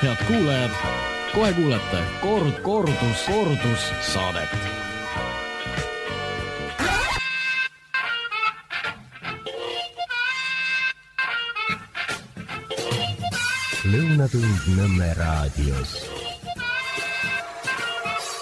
Head kuulajad, kohe kuulete kordus saadet. Lõunatund Nõmme raadios.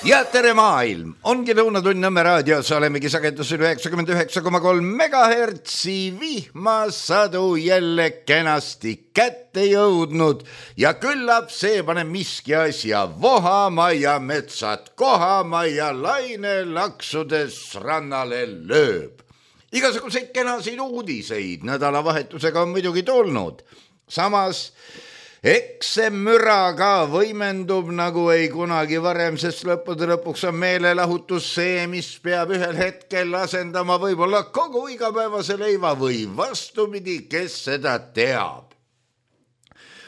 Ja tere maailm! Ongi Lõunatund Nõmme raadios, olemegi sagedusel 99,3 megahertsi vihmasadu jälle kenasti kätte jõudnud ja küllap see paneb miski asja vohama ja metsad kohama ja laine laksudes rannale lööb. Igasuguseid kenasid uudiseid nädalavahetusega on muidugi tulnud. Samas eks see müra ka võimendub nagu ei kunagi varem, sest lõppude lõpuks on meelelahutus see, mis peab ühel hetkel asendama võib-olla kogu igapäevase leiva või vastupidi, kes seda teab.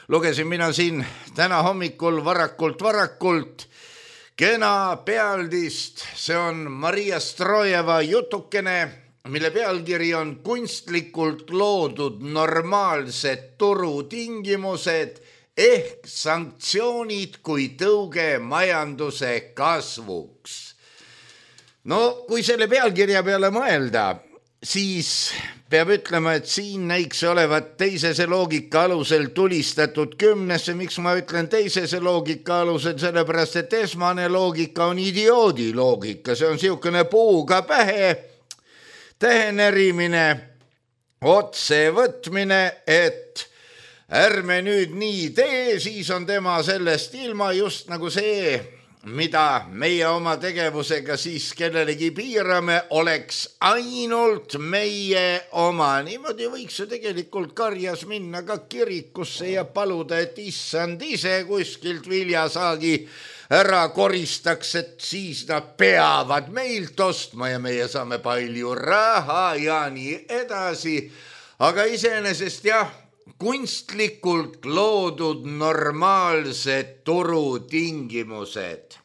Lugesin mina siin täna hommikul varakult kena pealdist, see on Maria Strojeva jutukene, mille pealkiri on kunstlikult loodud normaalsed turutingimused ehk sanktsioonid kui tõuge majanduse kasvuks. No kui selle pealkirja peale mõelda, siis peab ütlema, et siin näiks olevat teisese loogika alusel tulistatud kümnesse. Miks ma ütlen teisese loogika alusel? Sellepärast, et esmane loogika on idioodi loogika. See on siukene puuga pähe tähenerimine, otse võtmine, et ärme nüüd nii tee, siis on tema sellest ilma, just nagu see, mida meie oma tegevusega siis kellelegi piirame, oleks ainult meie oma. Niimoodi võiks ju tegelikult karjas minna ka kirikusse ja paluda, et issand ise kuskilt viljasaagi ära koristaks, et siis nad peavad meilt ostma ja meie saame palju raha ja nii edasi. Aga iseenesest jah, kunstlikult loodud normaalsed turutingimused.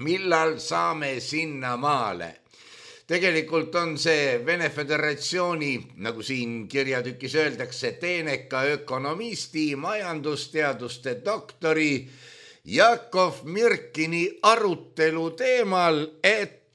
Millal saame sinna maale? Tegelikult on see Vene Föderatsiooni, nagu siin kirjatükis öeldakse, teeneka ökonomisti, majandusteaduste doktori Jakov Mirkini arutelu teemal, et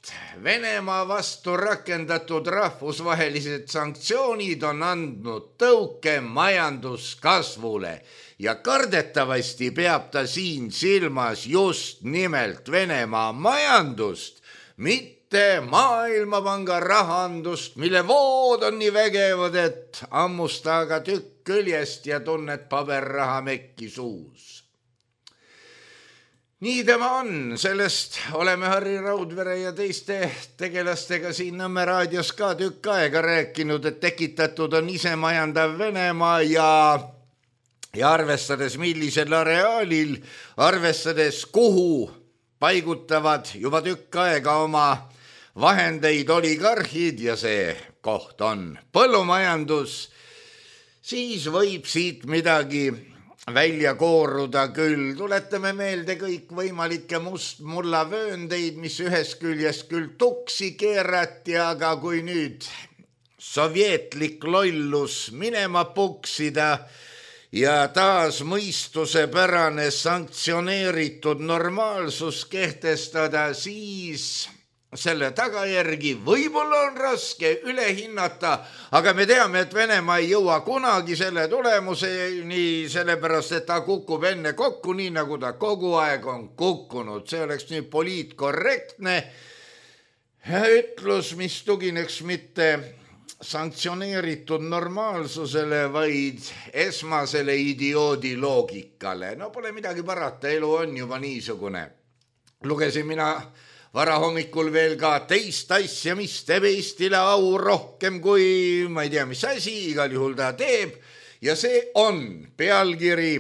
Venemaa vastu rakendatud rahvusvahelised sanktsioonid on andnud tõuke majanduskasvule ja kardetavasti peab ta siin silmas just nimelt Venemaa majandust, mitte Maailmapanga rahandust, mille vood on nii vägevad, et ammusta aga tükk küljest ja tunned paberraha mekki suus. Nii tema on, sellest oleme Harri Raudvere ja teiste tegelastega siin Nõmme raadios ka tükk aega rääkinud, et tekitatud on isemajandav Venemaa ja arvestades millisel areaalil, arvestades kuhu paigutavad juba tükk aega oma vahendeid oligarhid ja see koht on põllumajandus, siis võib siit midagi välja kooruda küll. Tuletame meelde kõik võimalikke mustmullavööndeid, mis ühest küljest küll tuksi keerati, aga kui nüüd sovjetlik lollus minema puksida ja taas mõistusepärane sanktsioneeritud normaalsus kehtestada, siis selle tagajärgi võib-olla on raske üle hinnata, aga me teame, et Venemaa ei jõua kunagi selle tulemuseni, sellepärast, et ta kukub enne kokku, nii nagu ta kogu aeg on kukkunud. See oleks nüüd poliitkorrektne ütlus, mis tugineks mitte sanktsioneeritud normaalsusele, vaid esmasele idioodi loogikale. No pole midagi parata, elu on juba niisugune. Lugesin mina varahommikul veel ka teist asja, mis teeb Eestile au rohkem kui, ma ei tea, mis asi, igal juhul ta teeb. Ja see on pealkiri,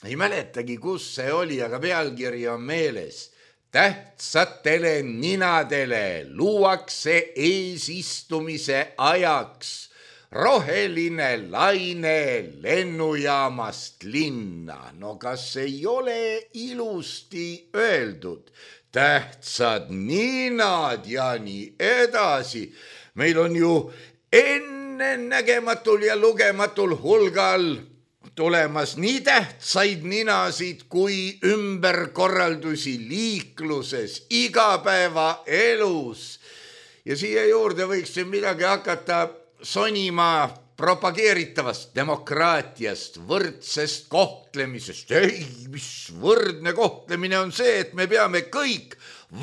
ei mäletagi, kus see oli, aga pealkiri on meeles. Tähtsatele ninadele luuakse eesistumise ajaks roheline laine lennujaamast linna. No kas ei ole ilusti öeldud? Tähtsad ninad ja nii edasi. Meil on ju ennenägematul ja lugematul hulgal tulemas nii tähtsaid ninasid kui ümberkorraldusi liikluses, igapäevaelus. Ja siia juurde võiks midagi hakata sonima propageeritavast demokraatiast, võrdsest kohtlemisest. Ei, mis võrdne kohtlemine on see, et me peame kõik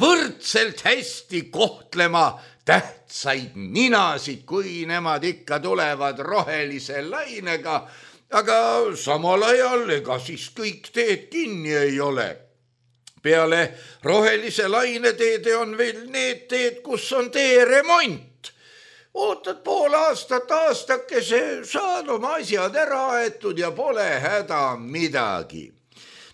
võrdselt hästi kohtlema tähtsaid ninasid, kui nemad ikka tulevad rohelise lainega, aga samal ajal ega siis kõik teed kinni ei ole. Peale rohelise laine teede on veel need teed, kus on teeremont. Ootad pool aastat, aastakese, saad oma asjad ära aetud ja pole häda midagi.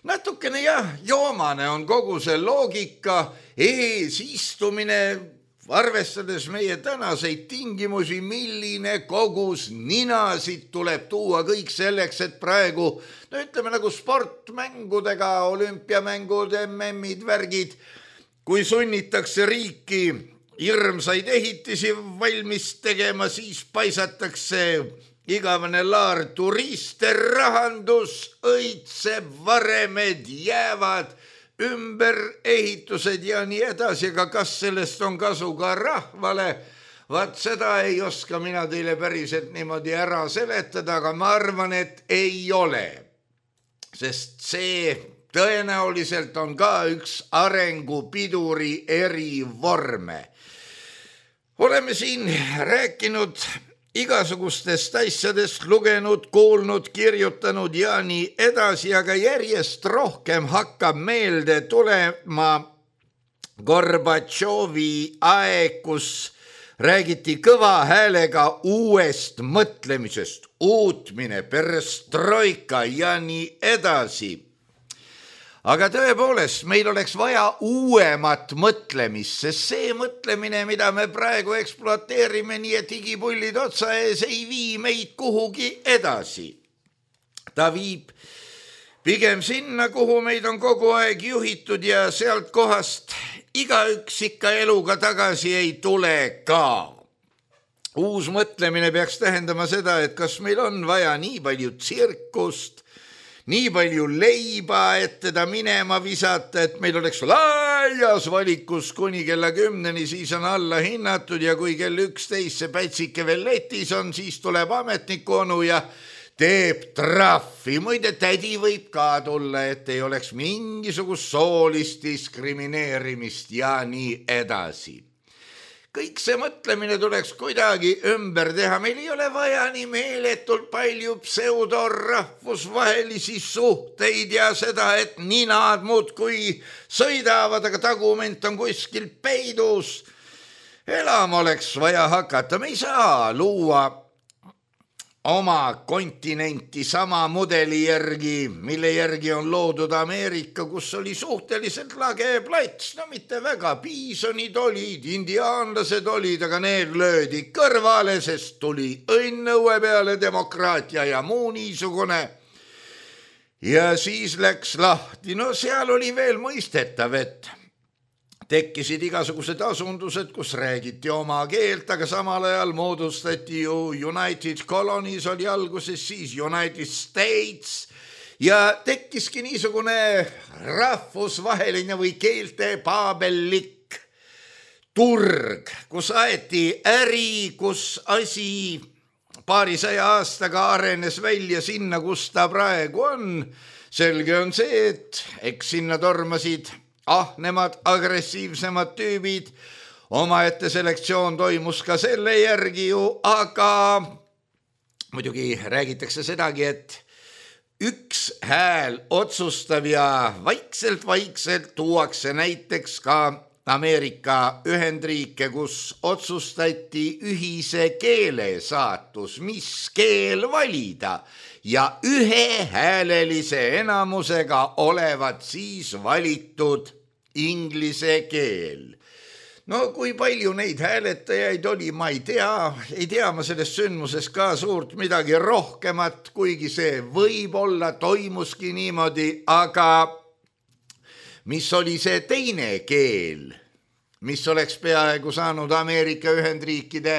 Natukene joomane on kogu see loogika, eesistumine, arvestades meie tänaseid tingimusi, milline kogus ninasid tuleb tuua kõik selleks, et praegu, ütleme nagu sportmängudega, olümpiamängud, MM-id, värgid, kui sunnitakse riiki hirmsaid ehitisi valmis tegema, siis paisatakse igavene laar turiste, rahandus õitseb, varemed jäävad, ümberehitused ja nii edasi, aga kas sellest on kasu ka rahvale? Vaat seda ei oska mina teile päriselt niimoodi ära seletada, aga ma arvan, et ei ole. Sest see tõenäoliselt on ka üks arengupiduri eri vorme. Oleme siin rääkinud igasugustest asjadest, lugenud, kuulnud, kirjutanud ja nii edasi, aga järjest rohkem hakkab meelde tulema Gorbatšovi aeg, kus räägiti kõva häälega uuest mõtlemisest, uutmine, perestroika ja nii edasi. Aga tõepoolest, meil oleks vaja uuemat mõtlemist, sest see mõtlemine, mida me praegu ekspluateerime, nii et higipullid otsa ees, ei vii meid kuhugi edasi. Ta viib pigem sinna, kuhu meid on kogu aeg juhitud ja sealt kohast igaüks ikka eluga tagasi ei tule ka. Uus mõtlemine peaks tähendama seda, et kas meil on vaja nii palju tsirkust, nii palju leiba, et teda minema visata, et meil oleks laias valikus kuni kella 10, siis on alla hinnatud ja kui kell 11 see pätsike veel letis on, siis tuleb ametniku onu ja teeb trahvi. Muide, tädi võib ka tulla, et ei oleks mingisugust soolist diskrimineerimist ja nii edasi. Kõik see mõtlemine tuleks kuidagi ümber teha. Meil ei ole vaja nii meeletult palju pseudorahvusvahelisi suhteid ja seda, et ninad muudkui sõidavad, aga tagument on kuskil peidus. Elama oleks vaja hakata. Me ei saa luua oma kontinenti sama mudeli järgi, mille järgi on loodud Ameerika, kus oli suhteliselt lage plats. No mitte väga, piisonid olid, indiaanlased olid, aga need löödi kõrvale, sest tuli õnnõue peale demokraatia ja muu niisugune. Ja siis läks lahti. No seal oli veel mõistetav, et tekkisid igasugused asundused, kus räägiti oma keelt, aga samal ajal moodustati ju United Colonies oli alguses, siis United States ja tekkiski niisugune rahvusvaheline või keelte paabellik turg, kus aeti äri, kus asi paarisaja aastaga arenes välja sinna, kus ta praegu on. Selge on see, et eks sinna tormasid nemad agressiivsemad tüübid, omaette selektsioon toimus ka selle järgi ju, aga muidugi räägitakse sedagi, et üks hääl otsustab ja vaikselt tuuakse näiteks ka Ameerika Ühendriike, kus otsustati ühise keele saatus, mis keel valida ja ühehäälelise enamusega olevat siis valitud inglise keel. No kui palju neid hääletajaid oli, ma ei tea ma sellest sündmusest ka suurt midagi rohkemat, kuigi see võib-olla toimuski niimoodi, aga mis oli see teine keel, mis oleks peaaegu saanud Ameerika Ühendriikide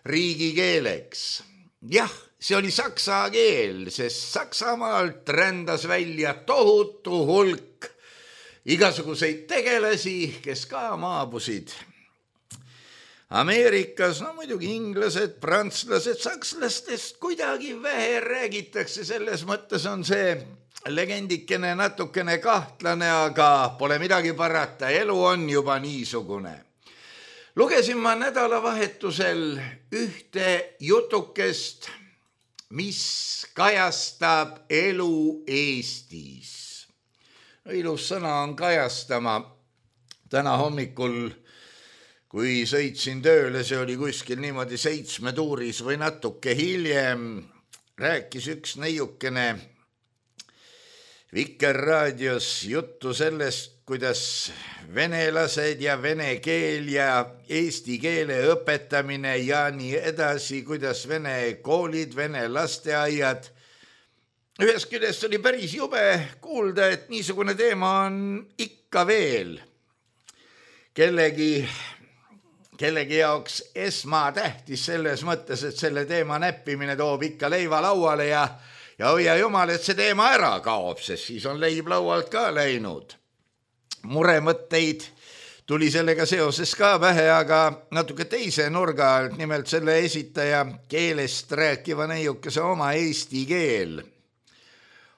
riigikeeleks? Jah, see oli saksa keel, sest Saksamaalt rändas välja tohutu hulk igasuguseid tegelasi, kes ka maabusid Ameerikas. No muidugi inglased, prantslased, sakslastest kuidagi vähe räägitakse, selles mõttes on see legendikene natukene kahtlane, aga pole midagi parata, elu on juba niisugune. Lugesin ma nädalavahetusel ühte jutukest, mis kajastab elu Eestis. Ilus sõna on kajastama. Täna hommikul, kui sõitsin tööle, see oli kuskil niimoodi 7 tuuris või natuke hiljem, rääkis üks neiukene Vikerraadios juttu sellest, kuidas venelased ja vene keel ja eesti keele õpetamine ja nii edasi, kuidas vene koolid, vene lasteaiad. Ühest küljest oli päris jube kuulda, et niisugune teema on ikka veel kellegi jaoks esmatähtis selles mõttes, et selle teema näppimine toob ikka leiva lauale ja hoia jumal, et see teema ära kaob, sest siis on leib laualt ka läinud. Muremõtteid tuli sellega seoses ka vähe, aga natuke teise nurga alt, nimelt selle esitaja keelest rääkiva neiukese oma eesti keel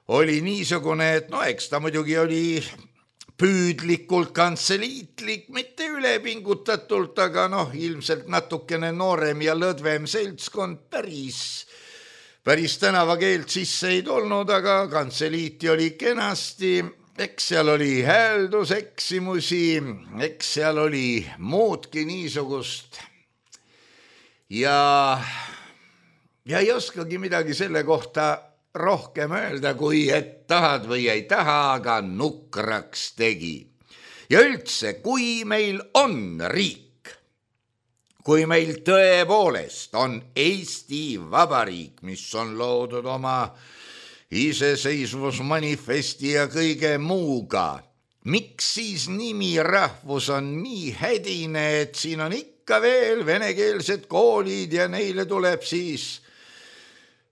oli niisugune, et eks ta muidugi oli püüdlikult kantseliitlik, mitte ülepingutatult, aga ilmselt natukene noorem ja lõdvem seltskond päris tänavakeelt sisse ei tulnud, aga kantseliiti oli kenasti, eks seal oli häälduseksimusi, eks seal oli muudki niisugust ja ei oskagi midagi selle kohta rohkem öelda, kui et tahad või ei taha, aga nukraks tegi. Ja üldse, kui meil on riik, kui meil tõepoolest on Eesti Vabariik, mis on loodud oma iseseisvusmanifesti ja kõige muuga, miks siis nimi rahvus on nii hädine, et siin on ikka veel venekeelsed koolid ja neile tuleb siis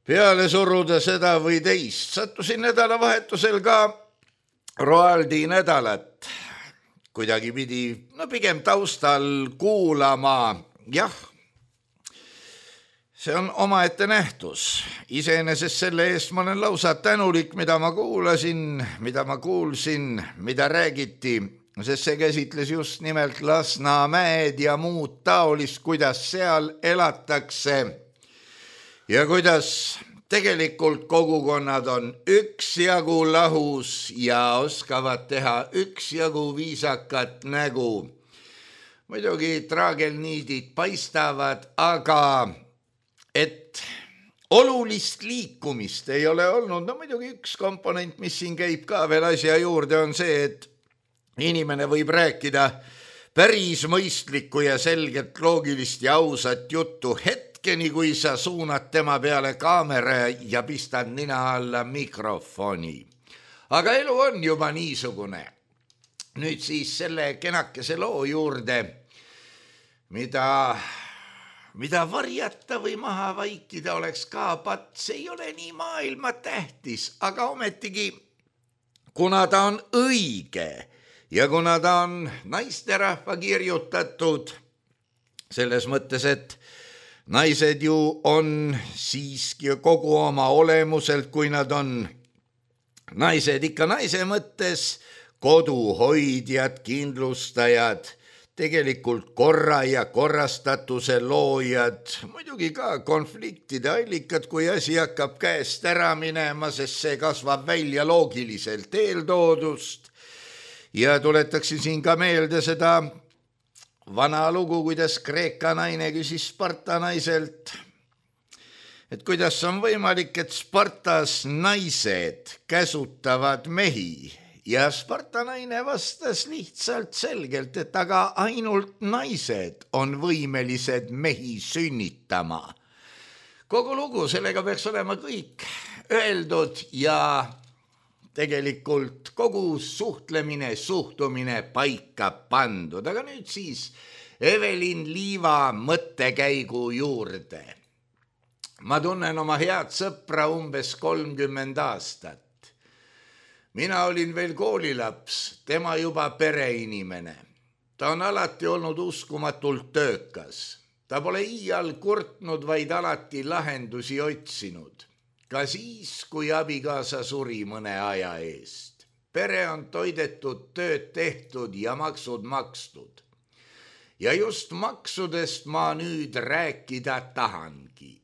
peale suruda seda või teist. Sattusin nädalavahetusel ka Roaldi nädalat kuidagi pidi, pigem taustal kuulama. Jah, see on omaette nähtus. Iseenesest selle eest ma olen lausa tänulik, mida ma kuulasin, mida ma kuulsin, mida räägiti, sest see käsitles just nimelt Lasnamäed ja muud taolist, kuidas seal elatakse. Ja kuidas tegelikult kogukonnad on üksjagu lahus ja oskavad teha üksjagu viisakat nägu. Muidugi traagelniidid paistavad, aga et olulist liikumist ei ole olnud. Muidugi üks komponent, mis siin käib ka veel asja juurde, on see, et inimene võib rääkida päris mõistlikku ja selget loogilist ja ausat juttu hetkeni, kui sa suunad tema peale kaamera ja pistad nina alla mikrofoni. Aga elu on juba niisugune. Nüüd siis selle kenakese loo juurde, mida varjata või maha vaikida oleks ka pats, ei ole nii maailma tähtis, aga ometigi, kuna ta on õige ja kuna ta on naisterahva kirjutatud, selles mõttes, et naised ju on siiski kogu oma olemuselt, kui nad on naised ikka naise mõttes, koduhoidjad, kindlustajad, tegelikult korra ja korrastatuse loojad, muidugi ka konfliktide allikad, kui asi hakkab käest ära minema, sest see kasvab välja loogiliselt eeltoodust. Ja tuletaksin siin ka meelde seda vana lugu, kuidas Kreeka naine küsis Sparta naiselt, et kuidas on võimalik, et Spartas naised käsutavad mehi. Ja Sparta naine vastas lihtsalt selgelt, et aga ainult naised on võimelised mehi sünnitama. Kogu lugu, sellega peaks olema kõik öeldud ja tegelikult kogu suhtlemine, suhtumine paika pandud. Aga nüüd siis Evelin Liiva mõttekäigu juurde. Ma tunnen oma head sõpra umbes 30 aastat. Mina olin veel koolilaps, tema juba pereinimene. Ta on alati olnud uskumatult töökas. Ta pole iial kurtnud, vaid alati lahendusi otsinud. Ka siis, kui abikaasa suri mõne aja eest. Pere on toidetud, tööd tehtud ja maksud makstud. Ja just maksudest ma nüüd rääkida tahangi.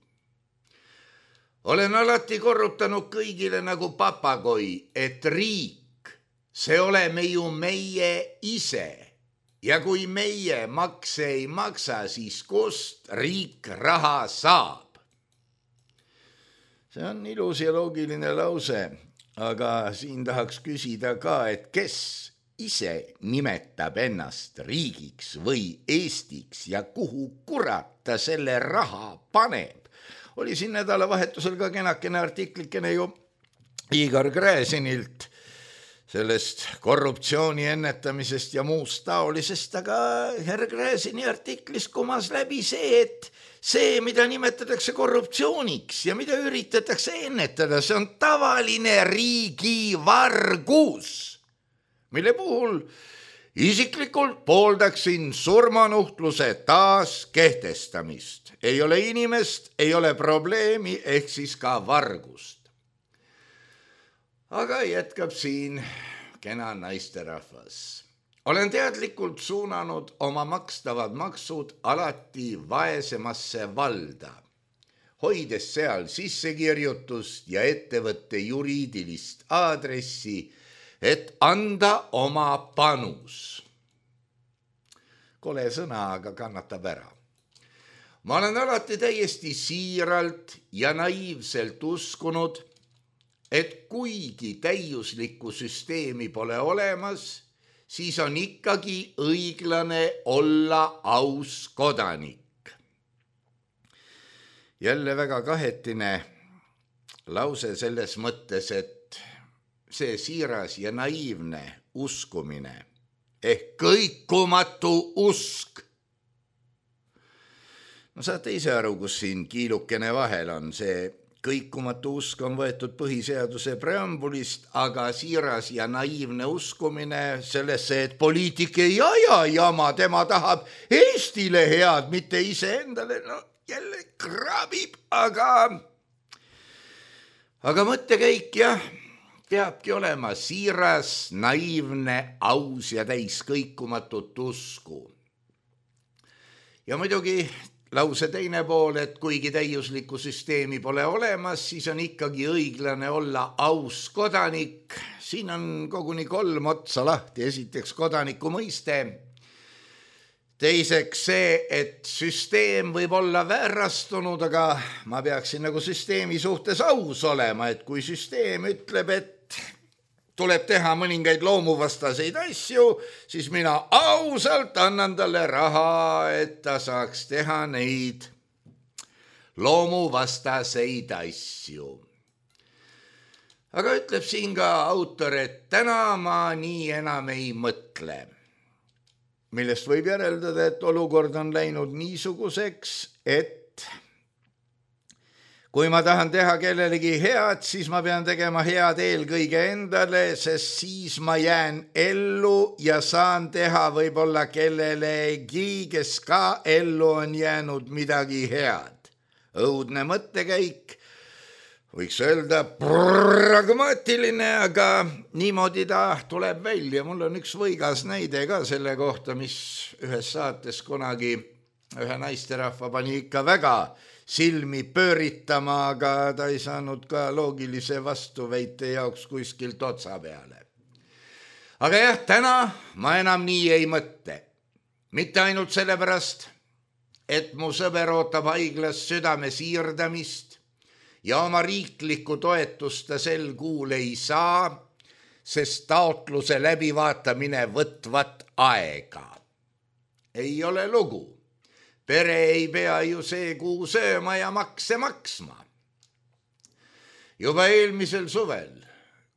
Olen alati korrutanud kõigile nagu papagoi, et riik, see oleme ju meie ise. Ja kui meie makse ei maksa, siis kust riik raha saab? See on ilus ja loogiline lause, aga siin tahaks küsida ka, et kes ise nimetab ennast riigiks või Eestiks ja kuhu kurat ta selle raha paneb. Oli siin nädalavahetusel ka kenakene artiklikene ju Igor Gräzinilt sellest korruptsiooni ennetamisest ja muust taolisest, aga härra Gräzini artiklis kumas läbi see, et see, mida nimetatakse korruptsiooniks ja mida üritatakse ennetada, see on tavaline riigivargus, mille puhul isiklikult pooldaksin surmanuhtluse taas kehtestamist. Ei ole inimest, ei ole probleemi, ehk siis ka vargust. Aga jätkab siin kena naisterahvas. Olen teadlikult suunanud oma makstavad maksud alati vaesemasse valda, hoides seal sissekirjutust ja ettevõtte juriidilist aadressi, et anda oma panus. Kole sõna, aga kannatab ära. Ma olen alati täiesti siiralt ja naiivselt uskunud, et kuigi täiuslikku süsteemi pole olemas, siis on ikkagi õiglane olla aus kodanik. Jälle väga kahetine lause selles mõttes, et see siiras ja naiivne uskumine ehk kõikumatu usk. No saate ise aru, kus siin kiilukene vahel on. See kõikumatu usk on võetud põhiseaduse preambulist, aga siiras ja naiivne uskumine sellesse, et poliitik ei aja jama, tema tahab Eestile head, mitte iseendale. No jälle krabib, aga mõttekäik jah, peabki olema siiras, naiivne, aus ja täis kõikumatut usku. Ja muidugi lause teine pool, et kuigi täiuslikku süsteemi pole olemas, siis on ikkagi õiglane olla aus kodanik. Siin on koguni 3 otsa lahti. Esiteks kodaniku mõiste. Teiseks see, et süsteem võib olla väärastunud, aga ma peaksin nagu süsteemi suhtes aus olema, et kui süsteem ütleb, et tuleb teha mõningaid loomuvastaseid asju, siis mina ausalt annan talle raha, et ta saaks teha neid loomuvastaseid asju. Aga ütleb siin ka autor, et täna ma nii enam ei mõtle, millest võib järeldada, et olukord on läinud niisuguseks, et kui ma tahan teha kellelegi head, siis ma pean tegema head eelkõige endale, sest siis ma jään ellu ja saan teha võib-olla kellelegi, kes ka ellu on jäänud midagi head. Õudne mõttekäik, võiks öelda pragmaatiline, aga niimoodi ta tuleb välja. Mul on üks võigas näide ka selle kohta, mis ühes saates kunagi ühe naisterahva pani ikka väga silmi pööritama, aga ta ei saanud ka loogilise vastuväite jaoks kuskilt otsa peale. Aga jah, täna ma enam nii ei mõtte. Mitte ainult sellepärast, et mu sõber ootab haiglas südame siirdamist ja oma riiklikku toetust ta sel kuul ei saa, sest taotluse läbivaatamine võtvat aega. Ei ole lugu. Pere ei pea ju see kuu sööma ja makse maksma. Juba eelmisel suvel,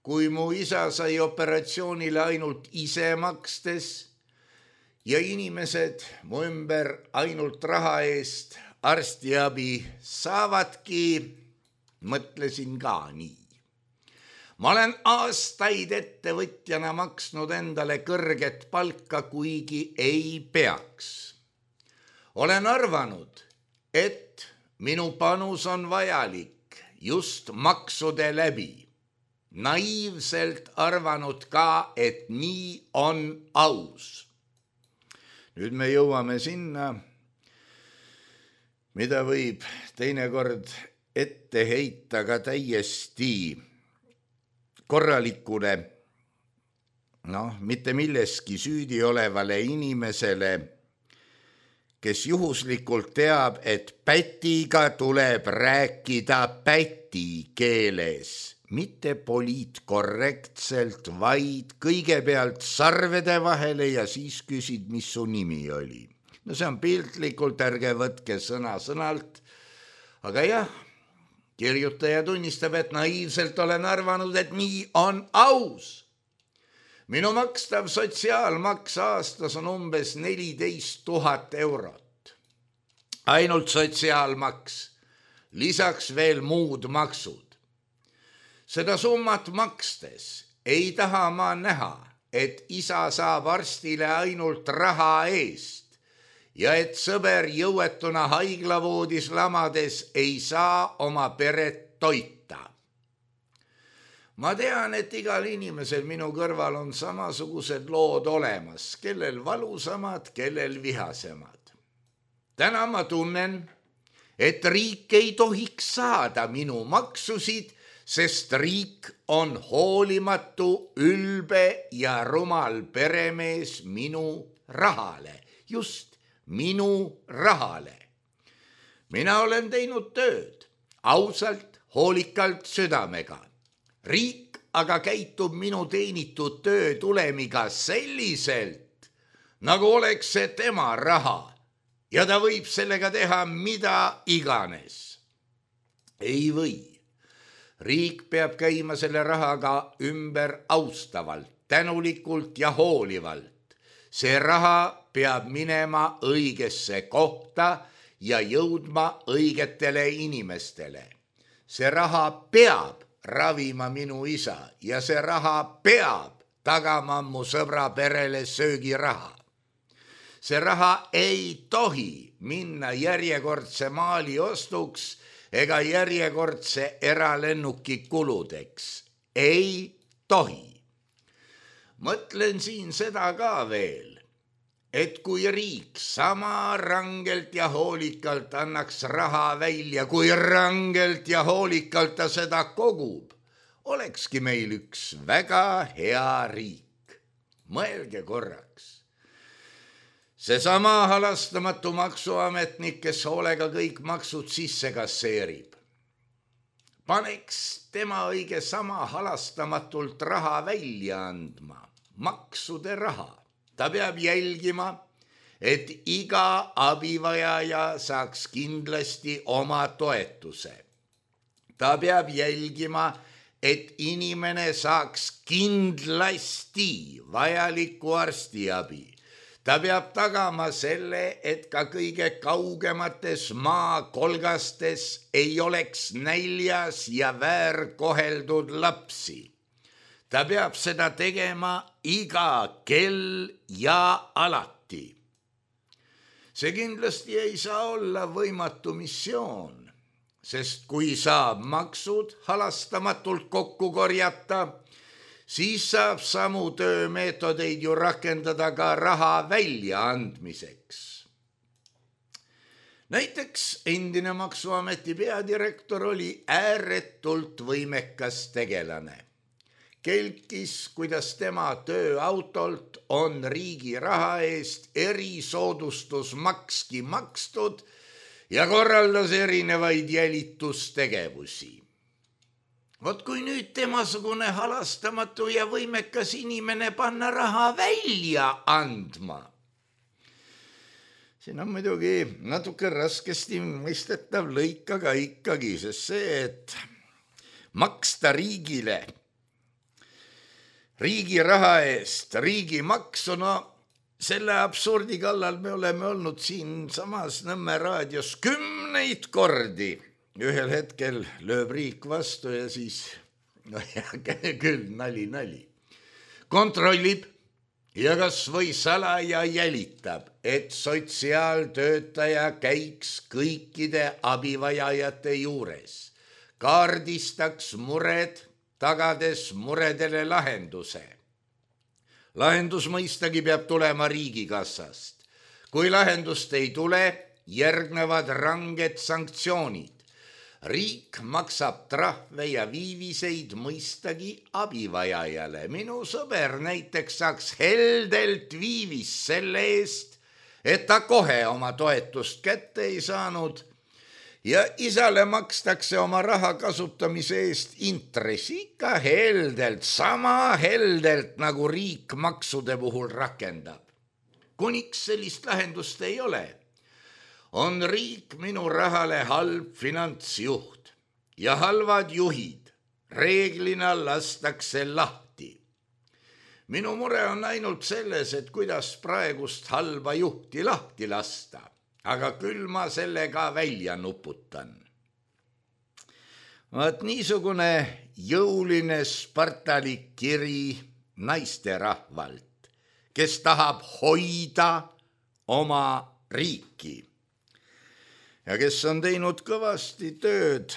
kui mu isa sai operatsioonile ainult ise makstes ja inimesed mu ümber ainult raha eest arstiabi saavadki, mõtlesin ka nii. Ma olen aastaid ettevõtjana maksnud endale kõrget palka, kuigi ei peaks. Olen arvanud, et minu panus on vajalik just maksude läbi. Naiivselt arvanud ka, et nii on aus. Nüüd me jõuame sinna, mida võib teinekord ette heita ka täiesti korralikule, mitte milleski süüdi olevale inimesele, kes juhuslikult teab, et pätiga tuleb rääkida päti keeles, mitte poliitkorrektselt, vaid kõigepealt sarvede vahele ja siis küsid, mis su nimi oli. No see on piltlikult, ärge võtke sõna sõnalt, aga jah, kirjutaja tunnistab, et naiivselt olen arvanud, et nii on aus. Minu makstav sotsiaalmaks aastas on umbes 14 000 eurot. Ainult sotsiaalmaks, lisaks veel muud maksud. Seda summat makstes ei taha ma näha, et isa saab arstile ainult raha eest ja et sõber jõuetuna haiglavoodis lamades ei saa oma peret toita. Ma tean, et igal inimesel minu kõrval on samasugused lood olemas, kellel valusamad, kellel vihasemad. Täna ma tunnen, et riik ei tohiks saada minu maksusid, sest riik on hoolimatu, ülbe ja rumal peremees minu rahale, just minu rahale. Mina olen teinud tööd, ausalt, hoolikalt, südamega. Riik aga käitub minu teenitud töö tulemiga selliselt, nagu oleks see tema raha ja ta võib sellega teha mida iganes. Ei või. Riik peab käima selle rahaga ümber austavalt, tänulikult ja hoolivalt. See raha peab minema õigesse kohta ja jõudma õigetele inimestele. See raha peab ravima minu isa ja see raha peab tagama mu sõbra perele söögiraha. See raha ei tohi minna järjekordse maali ostuks ega järjekordse eralennuki kuludeks. Ei tohi. Mõtlen siin seda ka veel, et kui riik sama rangelt ja hoolikalt annaks raha välja, kui rangelt ja hoolikalt ta seda kogub, olekski meil üks väga hea riik. Mõelge korraks. Seesama halastamatu maksuametnik, kes hoolega kõik maksud sisse kasseerib. Paneks tema õige sama halastamatult raha välja andma, maksude raha. Ta peab jälgima, et iga abivajaja saaks kindlasti oma toetuse. Ta peab jälgima, et inimene saaks kindlasti vajalikku arstiabi. Ta peab tagama selle, et ka kõige kaugemates maakolgastes ei oleks näljas ja väärkoheldud lapsi. Ta peab seda tegema iga kell ja alati. See kindlasti ei saa olla võimatu missioon, sest kui saab maksud halastamatult kokku korjata, siis saab samu töömeetodeid ju rakendada ka raha väljaandmiseks. Näiteks endine maksuameti peadirektor oli ääretult võimekas tegelane. Kelkis, kuidas tema tööautolt on riigi raha eest erisoodustusmakski makstud ja korraldas erinevaid jälitustegevusi. Vot kui nüüd temasugune halastamatu ja võimekas inimene panna raha välja andma, siin on muidugi natuke raskesti mõistetav lõik, aga ikkagi, sest see, et maksta riigile riigi raha eest riigi maksu, selle absurdi kallal me oleme olnud siin samas Nõmme raadios 10 kordi. Ühel hetkel lööb riik vastu ja siis, no küll, nali. Kontrollib ja kas või salaja jälitab, et sotsiaaltöötaja käiks kõikide abivajajate juures, kaardistaks mured, tagades muredele lahenduse. Lahendus mõistagi peab tulema riigikassast. Kui lahendust ei tule, järgnevad ranged sanktsioonid. Riik maksab trahve ja viiviseid mõistagi abivajajale. Minu sõber näiteks saaks heldelt viivist selle eest, et ta kohe oma toetust kätte ei saanud ja isale makstakse oma raha kasutamise eest intressi ikka heldelt, sama heldelt nagu riik maksude puhul rakendab. Kuniks sellist lahendust ei ole, on riik minu rahale halb finantsjuht ja halvad juhid reeglina lastakse lahti. Minu mure on ainult selles, et kuidas praegust halba juhti lahti lasta, aga küll ma sellega välja nuputan. Vaat niisugune jõuline spartalik kiri naisterahvalt, kes tahab hoida oma riiki ja kes on teinud kõvasti tööd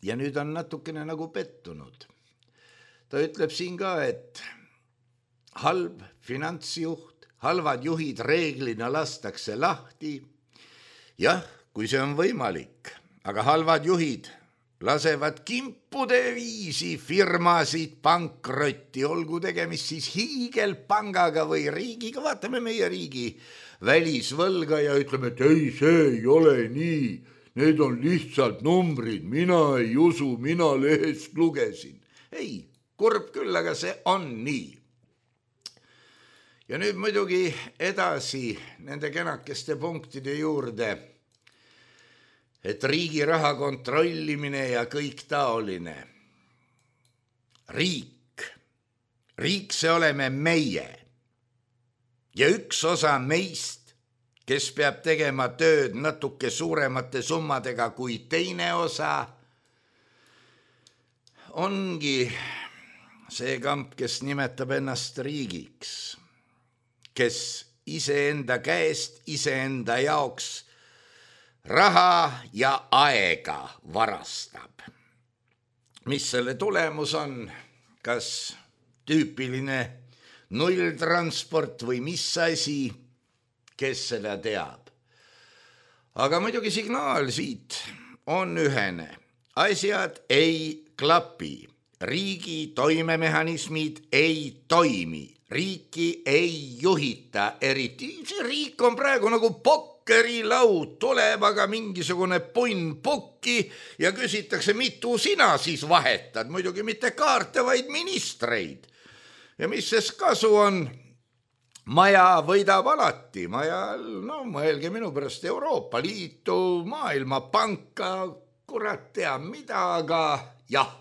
ja nüüd on natukene nagu pettunud. Ta ütleb siin ka, et halb finantsjuht, halvad juhid reeglina lastakse lahti. Jah, kui see on võimalik, aga halvad juhid lasevad kimpude viisi firmasid pankrotti, olgu tegemist siis hiigelpangaga või riigiga. Vaatame meie riigi välisvõlga ja ütleme, et ei, see ei ole nii. Need on lihtsalt numbrid, mina ei usu, mina lehest lugesin. Ei, kurb küll, aga see on nii. Ja nüüd muidugi edasi nende kenakeste punktide juurde, et riigi raha kontrollimine ja kõik taoline. Riik see oleme meie. Ja üks osa meist, kes peab tegema tööd natuke suuremate summadega kui teine osa, ongi see kamp, kes nimetab ennast riigiks, kes iseenda käest, iseenda jaoks raha ja aega varastab. Mis selle tulemus on? Kas tüüpiline nulltransport või mis asi, kes seda teab. Aga muidugi signaal siit on ühene. Asjad ei klapi. Riigi toimemehhanismid ei toimi. Riiki ei juhita eriti. See riik on praegu nagu pokkerilaud. Tuleb aga mingisugune punn pukki ja küsitakse, mitu sina siis vahetad. Muidugi mitte kaarte, vaid ministreid. Ja mis ses kasu on? Maja võidab alati. Maja, mõelge minu pärast Euroopa Liitu, Maailmapanka, kurat tea mida, aga jah.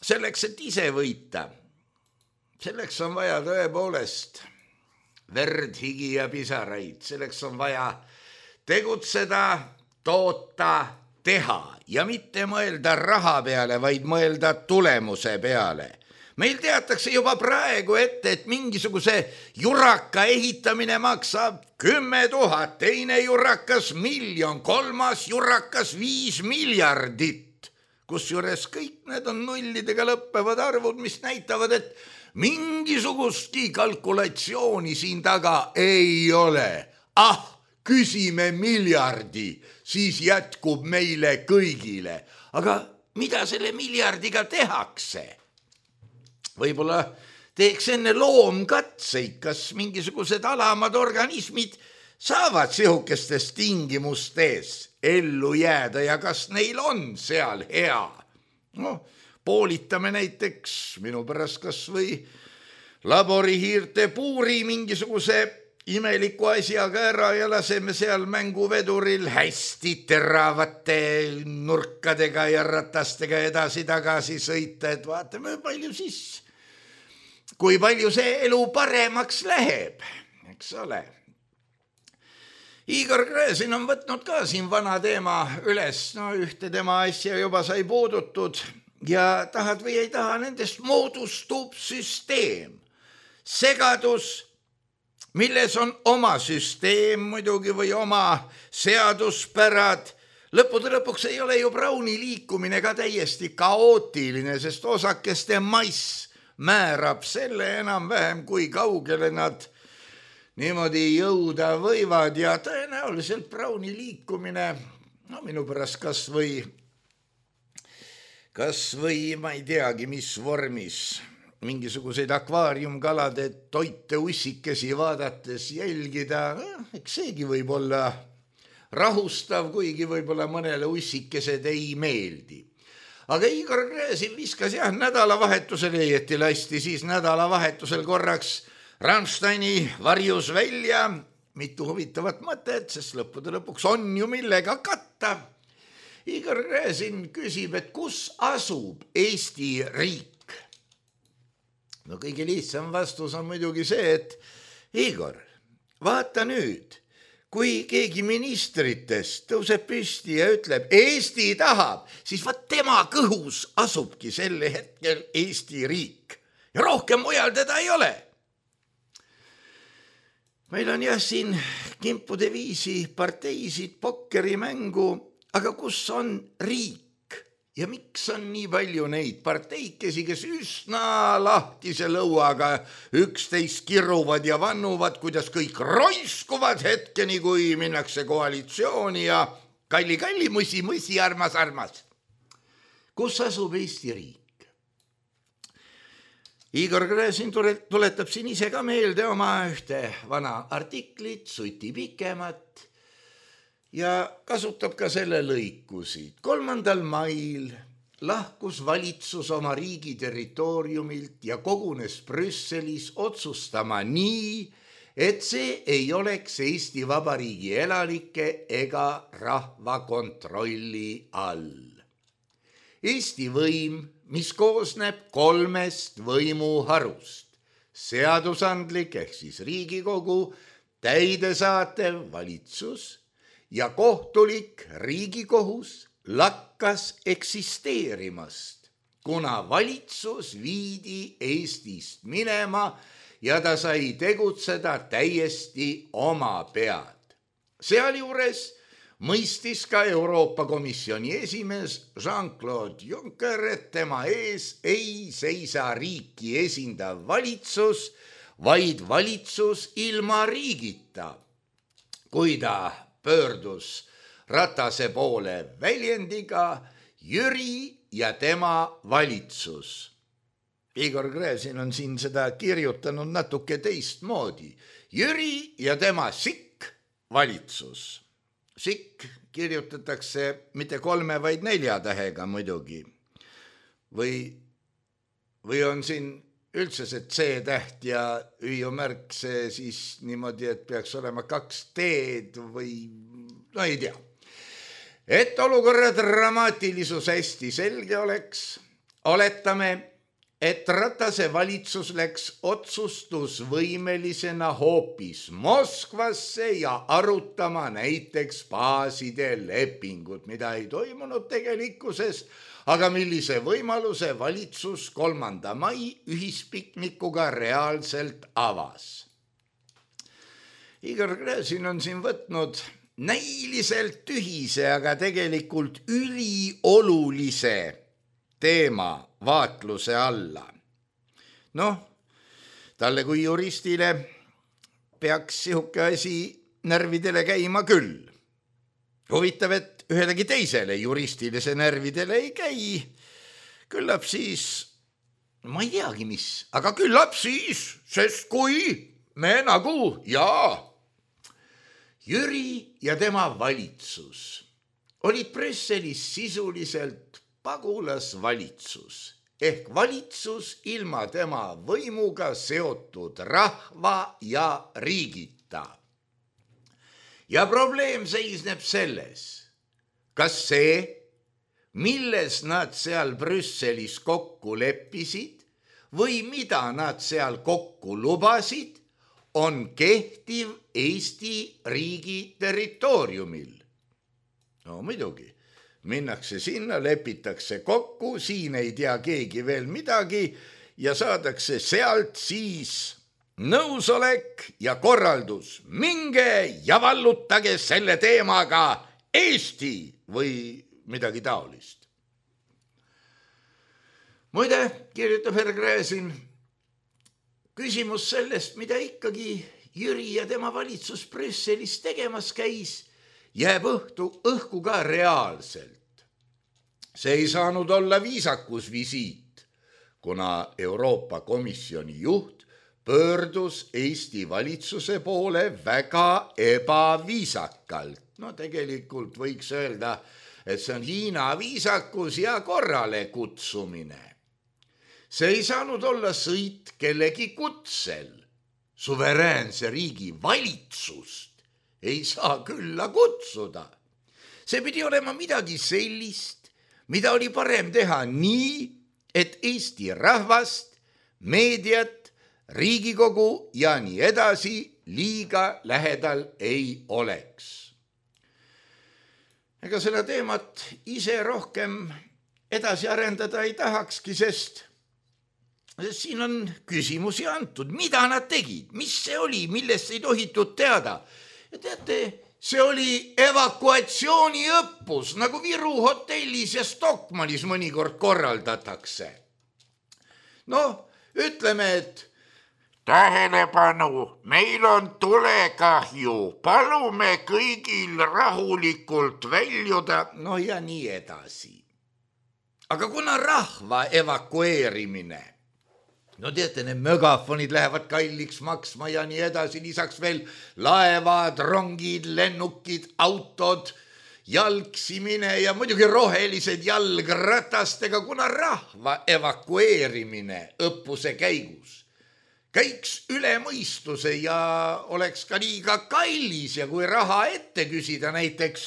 Selleks, et ise võita, selleks on vaja tõepoolest verd, higi ja pisaraid. Selleks on vaja tegutseda, toota, teha ja mitte mõelda raha peale, vaid mõelda tulemuse peale. Meil teatakse juba praegu ette, et mingisuguse juraka ehitamine maksab 10 000, teine jurakas 1 000 000, kolmas jurakas 5 miljardit. Kusjuures kõik need on nullidega lõppevad arvud, mis näitavad, et mingisugustki kalkulatsiooni siin taga ei ole. Küsime miljardi, siis jätkub meile kõigile. Aga mida selle miljardiga tehakse? Võib-olla teeks enne loomkatseid, kas mingisugused alamad organismid saavad sihukestes tingimustes ellu jääda ja kas neil on seal hea. Poolitame näiteks minu pärast kas või laborihiirte puuri mingisuguse imeliku asjaga ära ja laseme seal mänguveduril hästi teravate nurkadega ja ratastega edasi-tagasi sõita, et vaatame, palju siis kui palju see elu paremaks läheb, eks ole. Igor Gräzin on võtnud ka siin vana teema üles, no ühte tema asja juba sai puudutud ja tahad või ei taha, nendest moodustub süsteem, segadus, milles on oma süsteem muidugi või oma seaduspärad. Lõppude lõpuks ei ole ju Browni liikumine ka täiesti kaootiline, sest osakeste mass määrab selle enam-vähem, kui kaugele nad niimoodi jõuda võivad ja tõenäoliselt Browni liikumine, no minu pärast kas või ma ei teagi, mis vormis, mingisuguseid akvaariumkalade toite ussikesi vaadates jälgida, eks seegi võib olla rahustav, kuigi võib-olla mõnele ussikesed ei meeldi. Aga Igor Gräzin viskas nädalavahetusel, õieti lasti siis nädalavahetusel korraks Rammsteini varjus välja mitu huvitavat mõtet, sest lõppude lõpuks on ju millega katta. Igor Gräzin küsib, et kus asub Eesti riik? No kõige lihtsam vastus on muidugi see, et Igor, vaata nüüd, kui keegi ministritest tõuseb püsti ja ütleb, Eesti tahab, siis vaat tema kõhus asubki selle hetkel Eesti riik ja rohkem mujal teda ei ole. Meil on siin kimpude viisi parteisid, pokkerimängu, aga kus on riik ja miks on nii palju neid parteikesi, kes üsna lahtise lõuaga üksteist kiruvad ja vannuvad, kuidas kõik roiskuvad hetkeni, kui minnakse koalitsiooni ja kalli, mõsi, armas. Kus asub Eesti riik? Igor Gräzin tuletab siin ise ka meelde oma ühte vana artiklit, suti pikemat ja kasutab ka selle lõikusid. 3. mail lahkus valitsus oma riigi territooriumilt ja kogunes Brüsselis otsustama nii, et see ei oleks Eesti Vabariigi elanike ega rahva kontrolli all. Eesti võim, mis koosneb 3 võimuharust, seadusandlik ehk siis Riigikogu, täidesaatev valitsus ja kohtulik Riigikohus lakkas eksisteerimast, kuna valitsus viidi Eestist minema ja ta sai tegutseda täiesti oma pead. Sealjuures mõistis ka Euroopa Komisjoni esimees Jean-Claude Juncker, et tema ees ei seisa riiki esindav valitsus, vaid valitsus ilma riigita. Kui ta pöördus Ratase poole väljendiga Jüri ja tema valitsus. Igor Gräzin on siin seda kirjutanud natuke teistmoodi. Jüri ja tema sikk valitsus. Sikk kirjutatakse mitte 3, vaid 4 tähega muidugi. Või on siin üldse see C-täht ja Ü-märk see siis niimoodi, et peaks olema 2 T-d või no ei tea. Et olukorra dramaatilisus hästi selge oleks, oletame, et Ratase valitsus läks otsustusvõimelisena hoopis Moskvasse ja arutama näiteks baaside lepingut, mida ei toimunud tegelikkuses, aga millise võimaluse valitsus 3. mai ühispiknikuga reaalselt avas. Igor Gräzin on siin võtnud näiliselt tühise, aga tegelikult üliolulise teema vaatluse alla. Talle kui juristile peaks sihuke asi närvidele käima küll. Huvitav, et ühelegi teisele juristile see närvidele ei käi. Küllap siis, ma ei teagi mis, aga küllap siis, sest kui me nagu, Jüri ja tema valitsus olid Brüsselis sisuliselt pagulasvalitsus ehk valitsus ilma tema võimuga seotud rahva ja riigita. Ja probleem seisneb selles, kas see, milles nad seal Brüsselis kokku leppisid, või mida nad seal kokku lubasid, on kehtiv Eesti riigi territooriumil. No muidugi, minnakse sinna, lepitakse kokku, siin ei tea keegi veel midagi ja saadakse sealt siis nõusolek ja korraldus. Minge ja vallutage selle teemaga Eesti või midagi taolist. Muide, kirjutab härra Gräzin, küsimus sellest, mida ikkagi Jüri ja tema valitsus Brüsselis tegemas käis, jääb õhku ka reaalselt. See ei saanud olla viisakus visiit, kuna Euroopa Komisjoni juht pöördus Eesti valitsuse poole väga ebaviisakalt. No tegelikult võiks öelda, et see on Hiina viisakus ja korrale kutsumine. See ei saanud olla sõit kellegi kutsel. Suveräänse riigi valitsust ei saa külla kutsuda. See pidi olema midagi sellist, mida oli parem teha nii, et Eesti rahvast, meediat, Riigikogu ja nii edasi liiga lähedal ei oleks. Ega seda teemat ise rohkem edasi arendada ei tahakski, sest siin on küsimusi antud, mida nad tegid, mis see oli, millest ei tohitud teada. Ja teate, see oli evakuatsiooniõppus, nagu Viru hotellis ja Stockmannis mõnikord korraldatakse. No, ütleme, et tähelepanu, meil on tulekahju, palume kõigil rahulikult väljuda, no ja nii edasi. Aga kuna rahva evakueerimine, no teate, need megafonid lähevad kalliks maksma ja nii edasi, lisaks veel laevad, rongid, lennukid, autod, jalgsimine ja muidugi rohelised jalgratastega, kuna rahva evakueerimine õppuse käigus käiks üle mõistuse ja oleks ka liiga kallis ja kui raha ette küsida näiteks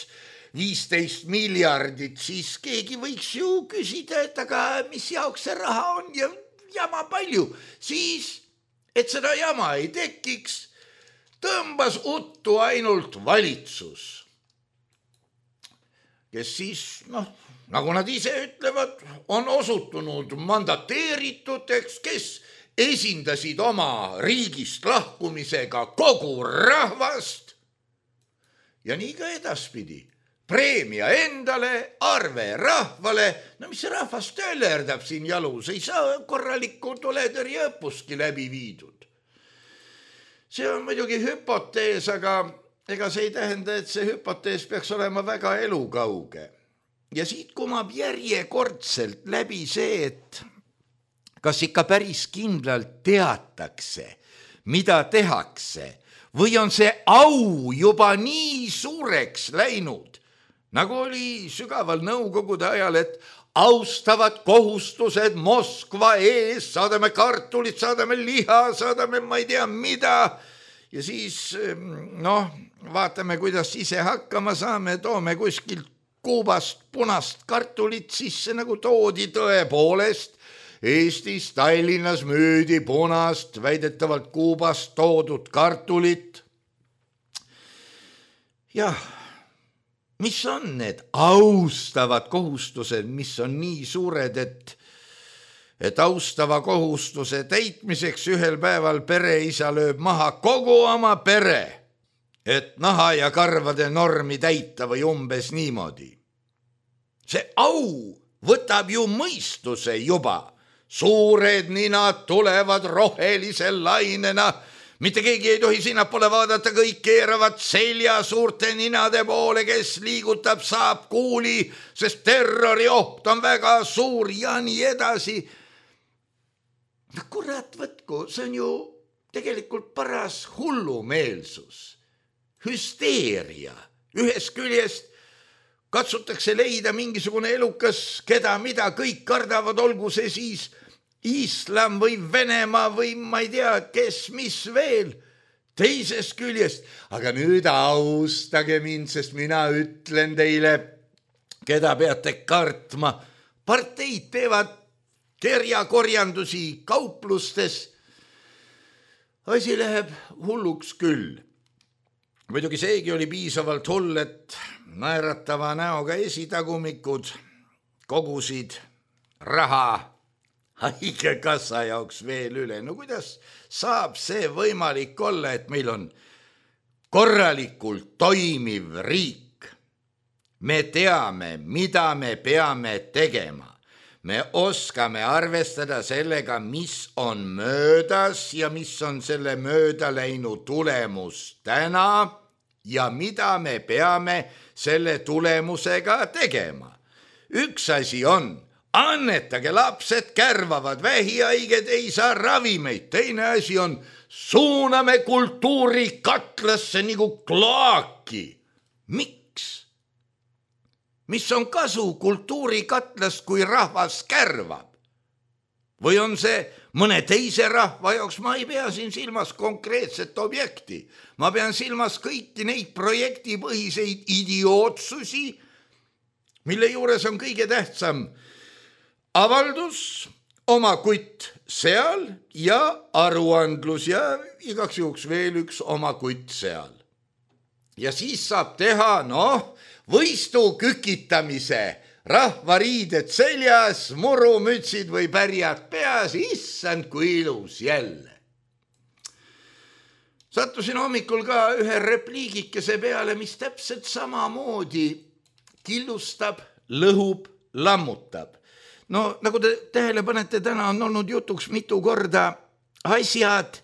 15 miljardit, siis keegi võiks ju küsida, et aga mis jaoks see raha on ja jama palju, siis, et seda jama ei tekiks, tõmbas uttu ainult valitsus, kes siis, nagu nad ise ütlevad, on osutunud mandateerituteks, kes esindasid oma riigist lahkumisega kogu rahvast ja nii ka edaspidi. Preemia endale, arve rahvale, no mis see rahvas töllerdab siin jalus, ei saa korralikku tuletõrjeõppuski läbi viidud. See on muidugi hüpotees, aga ega see ei tähenda, et see hüpotees peaks olema väga elukauge. Ja siit kumab järjekordselt läbi see, et kas ikka päris kindlalt teatakse, mida tehakse, või on see au juba nii suureks läinud, nagu oli sügaval nõukogude ajal, et austavad kohustused Moskva ees, saadame kartulit, saadame liha, saadame ma ei tea mida ja siis vaatame, kuidas ise hakkama saame, toome kuskilt Kuubast punast kartulit sisse, nagu toodi tõepoolest. Eestis Tallinnas müüdi punast, väidetavalt Kuubast toodud kartulit. Jah, mis on need austavad kohustused, mis on nii suured, et austava kohustuse täitmiseks ühel päeval pereisa lööb maha kogu oma pere, et naha ja karvade normi täita või umbes niimoodi. See au võtab ju mõistuse juba. Suured ninad tulevad rohelise lainena, mitte keegi ei tohi sinnapoole vaadata, kõik keeravad selja suurte ninade poole, kes liigutab, saab kuuli, sest terrorioht on väga suur ja nii edasi. Kurat võtku, see on ju tegelikult paras hullumeelsus, hüsteeria. Ühest küljest katsutakse leida mingisugune elukas, keda mida kõik kardavad, olgu see siis Islam või Venemaa või ma ei tea, kes mis veel. Teisest küljest, aga nüüd austage mind, sest mina ütlen teile, keda peate kartma. Parteid teevad kerjakorjandusi kauplustes. Asi läheb hulluks küll. Muidugi seegi oli piisavalt hull, et naeratava näoga esitagumikud kogusid raha haigekassa jaoks veel üle. No kuidas saab see võimalik olla, et meil on korralikult toimiv riik? Me teame, mida me peame tegema. Me oskame arvestada sellega, mis on möödas ja mis on selle mööda läinud tulemus täna ja mida me peame selle tulemusega tegema. Üks asi on, annetage, lapsed kärvavad, vähihaiged ei saa ravimeid. Teine asi on, suuname kultuuri katlasse nagu kloaki. Miks? Mis on kasu kultuurikatlast, kui rahvas kärvab? Või on see mõne teise rahva jaoks? Ma ei pea siin silmas konkreetset objekti. Ma pean silmas kõiki neid projektipõhiseid idiootsusi, mille juures on kõige tähtsam avaldus, oma kutt seal ja aruandlus ja igaks juhuks veel üks oma kutt seal. Ja siis saab teha, võistu kükitamise, rahvariided seljas, murumütsid või pärjad peas, issand kui ilus jälle. Sattusin hommikul ka ühe repliigikese peale, mis täpselt samamoodi killustab, lõhub, lammutab. No nagu te tähele panete, täna on olnud jutuks mitu korda asjad,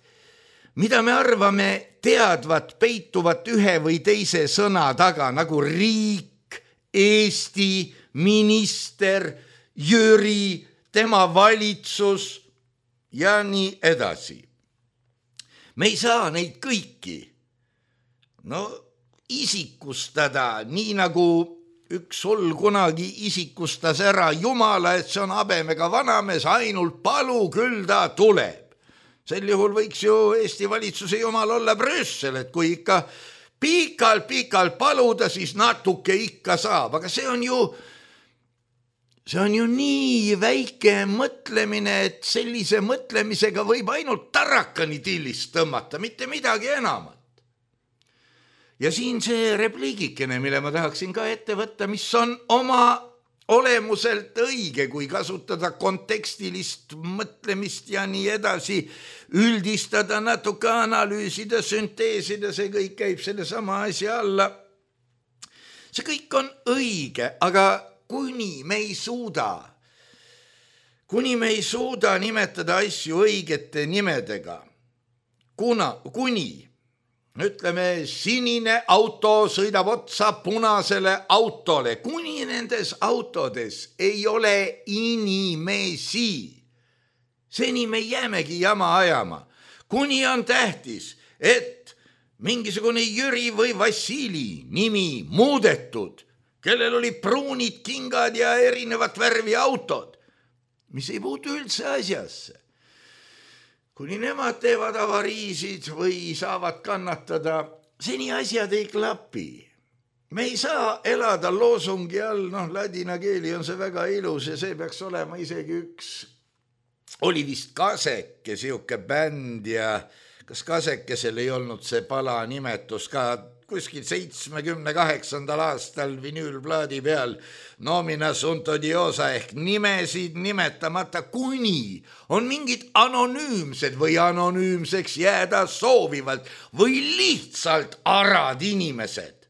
mida me arvame teadvat peituvat ühe või teise sõna taga, nagu riik, Eesti, minister, Jüri, tema valitsus ja nii edasi. Me ei saa neid kõiki isikustada, nii nagu üks hull kunagi isikustas ära Jumala, et see on habemega vanamees, ainult palu, küll ta tuleb. Sel juhul võiks ju Eesti valitsuse jumal olla Brüssel, et kui ikka pikalt paluda, siis natuke ikka saab. Aga see on ju nii väike mõtlemine, et sellise mõtlemisega võib ainult tarakani tillist tõmmata, mitte midagi enamat. Ja siin see repliigikene, mille ma tahaksin ka ette võtta, mis on oma olemuselt õige, kui kasutada kontekstilist mõtlemist ja nii edasi, üldistada, natuke analüüsida, sünteesida, see kõik käib selle sama asja alla. See kõik on õige, aga kuni me ei suuda nimetada asju õigete nimedega, kuni ütleme, sinine auto sõidab otsa punasele autole, kuni nendes autodes ei ole inimesi. Seni me jäämegi jama ajama. Kuni on tähtis, et mingisugune Jüri või Vassili nimi muudetud, kellel oli pruunid kingad ja erinevat värvi autod, mis ei puutu üldse asjasse. Kuni nemad teevad avariisid või saavad kannatada, seni asjad ei klapi. Me ei saa elada loosungi all, ladina keeli on see väga ilus ja see peaks olema isegi üks, oli vist Kaseke, siuke bänd ja kas Kasekesel ei olnud see pala nimetus ka kuskil 78. aastal vinüülplaadi peal nomina sunt odiosa ehk nimesid nimetamata, kuni on mingid anonüümsed või anonüümseks jääda soovivalt või lihtsalt arad inimesed.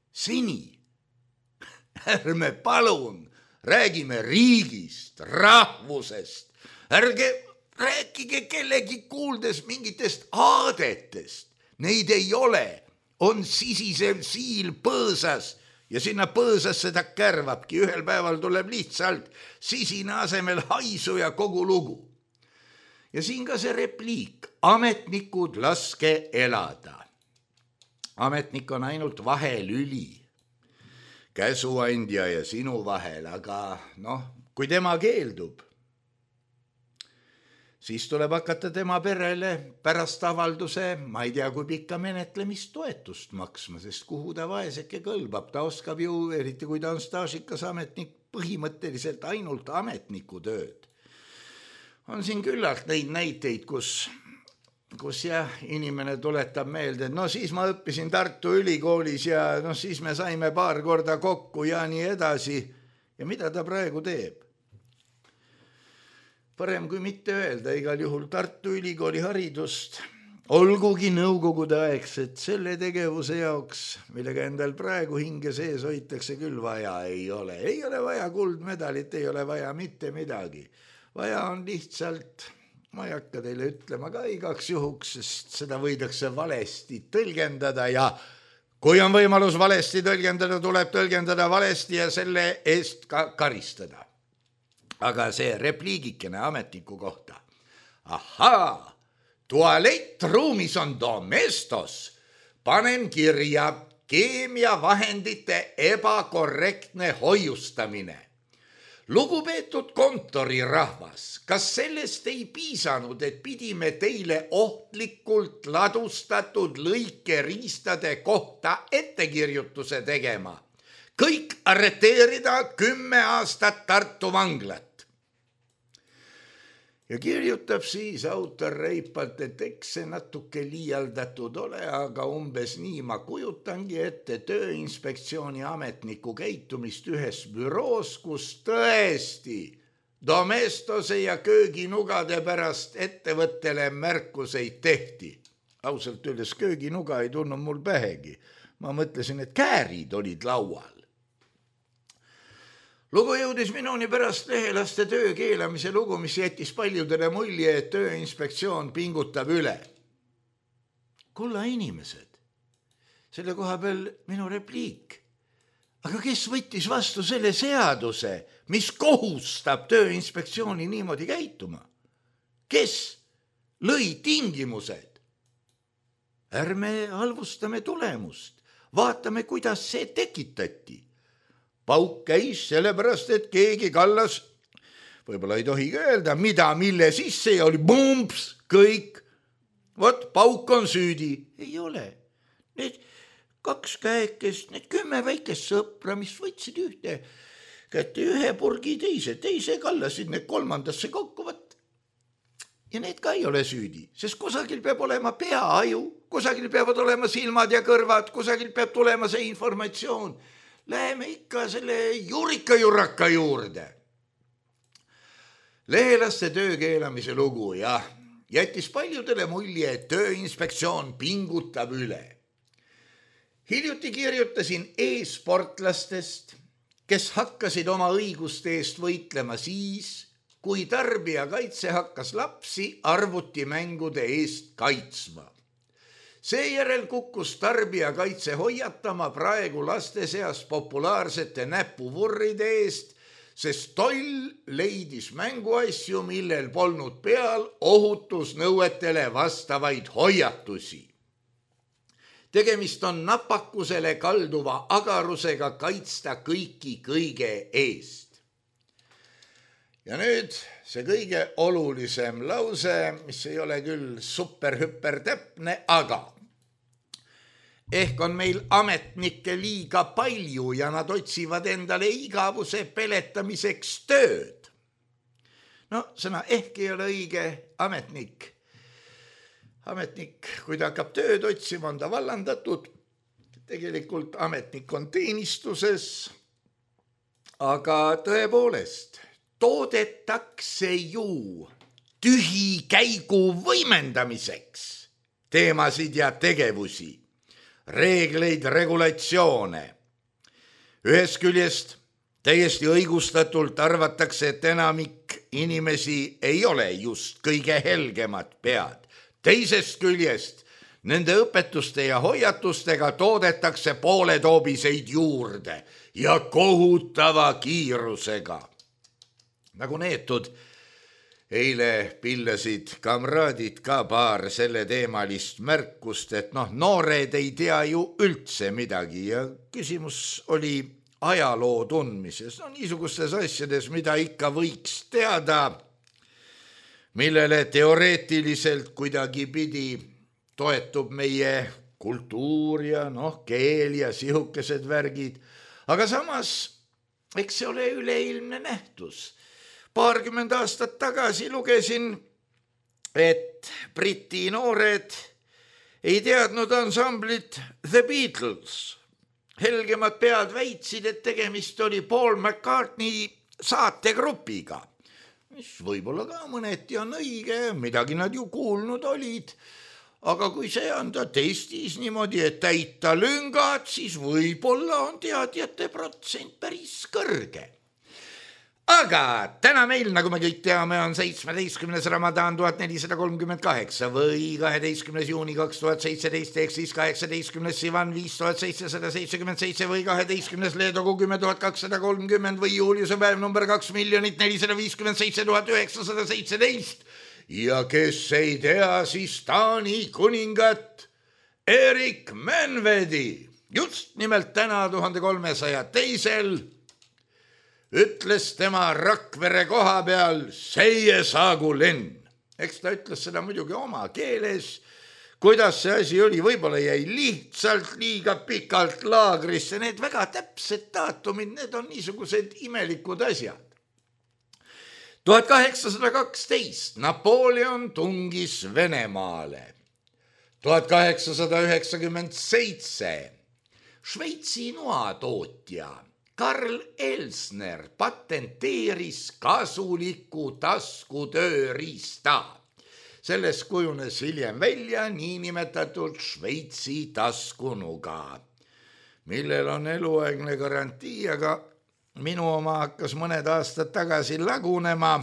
Seni ärme palun räägime riigist, rahvusest, ärge rääkige kellegi kuuldes mingitest aadetest, neid ei ole. On sisisev siil põõsas ja sinna põõsasse ta kärvabki. Ühel päeval tuleb lihtsalt sisine asemel haisu ja kogu lugu. Ja siin ka see repliik, ametnikud laske elada. Ametnik on ainult vahelüli, käsuandja ja sinu vahel, aga kui tema keeldub, siis tuleb hakata tema perele pärast avalduse, ma ei tea, kui pikka menetlemist toetust maksma, sest kuhu ta vaeseke kõlbab, ta oskab ju, eriti kui ta on staažikas ametnik, põhimõtteliselt ainult ametniku tööd. On siin küllalt neid näiteid, kus jah, inimene tuletab meelde, et siis ma õppisin Tartu Ülikoolis ja siis me saime paar korda kokku ja nii edasi. Ja mida ta praegu teeb? Parem kui mitte öelda, igal juhul Tartu Ülikooli haridust, olgugi nõukogude aegset selle tegevuse jaoks, millega endal praegu hinge sees hoitakse küll vaja ei ole. Ei ole vaja kuldmedalit, ei ole vaja mitte midagi. Vaja on lihtsalt, ma ei hakka teile ütlema ka igaks juhuks, sest seda võidakse valesti tõlgendada ja kui on võimalus valesti tõlgendada, tuleb tõlgendada valesti ja selle eest ka karistada. Aga see repliigikene ametniku kohta. Ahaa, tualettruumis on domestos. Panen kirja keemiavahendite ebakorrektne hoiustamine. Lugupeetud kontorirahvas, kas sellest ei piisanud, et pidime teile ohtlikult ladustatud lõikeriistade kohta ettekirjutuse tegema? Kõik arreteerida 10 aastat Tartu vanglat. Ja kirjutab siis autor reipalt, et eks see natuke liialdatud ole, aga umbes nii ma kujutangi ette Tööinspektsiooni ametniku käitumist ühes büroos, kus tõesti domestose ja kööginugade pärast ettevõttele märkuseid tehti. Ausalt öeldes kööginuga ei tulnud mul pähegi. Ma mõtlesin, et käärid olid laual. Lugu jõudis minuni pärast lehelaste töö keelamise lugu, mis jättis paljudele mulje, et Tööinspektsioon pingutab üle. Kulla inimesed, selle koha peal minu repliik. Aga kes võttis vastu selle seaduse, mis kohustab Tööinspektsiooni niimoodi käituma? Kes lõi tingimused? Ärme halvustame tulemust, vaatame, kuidas see tekitati. Pauk käis sellepärast, et keegi kallas, võib-olla ei tohi öelda, mille sisse ja oli bumps, kõik. Vot, pauk on süüdi. Ei ole. Need 2 käekest, need 10 väikest sõpra, mis võtsid ühte kätte 1 purgi teise kallasid need 3. kokku, võt. Ja need ka ei ole süüdi, sest kusagil peab olema peaaju, kusagil peavad olema silmad ja kõrvad, kusagil peab tulema see informatsioon. Läheme ikka selle jurika juurde. Lehelaste töö keelamise lugu ja jättis paljudele mulje, et Tööinspektsioon pingutab üle. Hiljuti kirjutasin e-sportlastest, kes hakkasid oma õiguste eest võitlema siis, kui tarbijakaitse hakkas lapsi arvutimängude eest kaitsma. Seejärel kukkus tarbijakaitse hoiatama praegu laste seas populaarsete näpuvurride eest, sest toll leidis mänguasju, millel polnud peal ohutusnõuetele vastavaid hoiatusi. Tegemist on napakusele kalduva agarusega kaitsta kõiki kõige eest. Ja nüüd see kõige olulisem lause, mis ei ole küll super-hüper täpne, aga ehk on meil ametnikke liiga palju ja nad otsivad endale igavuse peletamiseks tööd. Sõna ehk ei ole õige ametnik. Ametnik, kui ta hakkab tööd otsima, on ta vallandatud. Tegelikult ametnik on teenistuses, aga tõepoolest toodetakse ju tühikäigu võimendamiseks teemasid ja tegevusi. Reegleid, regulatsioone. Ühest küljest täiesti õigustatult arvatakse, et enamik inimesi ei ole just kõige helgemad pead. Teisest küljest nende õpetuste ja hoiatustega toodetakse pooletoobiseid juurde ja kohutava kiirusega. Nagu neetud, eile pillasid kamraadid ka paar selle teemalist märkust, et noored ei tea ju üldse midagi ja küsimus oli ajaloo tundmises. Niisugustes asjades, mida ikka võiks teada, millele teoreetiliselt kuidagi pidi toetub meie kultuur ja keel ja sihukesed värgid. Aga samas, eks see ole üleilmne nähtus. paarkümmend aastat tagasi lugesin, et Briti noored ei teadnud ansamblit The Beatles. Helgemad pead väitsid, et tegemist oli Paul McCartney saategrupiga, mis võib-olla ka mõneti on õige, midagi nad ju kuulnud olid. Aga kui see anda testis niimoodi, et täita lüngad, siis võib-olla on teadjate protsent päris kõrge. Aga täna meil, nagu me kõik teame, on 17. Ramadan 1438 või 12. juuni 2017 ehk siis 18. Sivan 5777 või 12. Leedogu 10230 või Juliuse päev number 2 457 917. Ja kes ei tea, siis Taani kuningat Erik Menvedi just nimelt täna 1302 ütles tema Rakvere koha peal seie saagu lenn. Eks ta ütles seda muidugi oma keeles, kuidas see asi oli, võib-olla jäi lihtsalt liiga pikalt laagrisse, need väga täpsed daatumid, need on niisugused imelikud asjad. 1812 Napoleon tungis Venemaale. 1897 Šveitsi noatootja Karl Elsner patenteeris kasuliku taskutööriista. Sellest kujunes hiljem välja niinimetatud Šveitsi taskunuga, millel on eluaegne garantii, aga minu oma hakkas mõned aastad tagasi lagunema.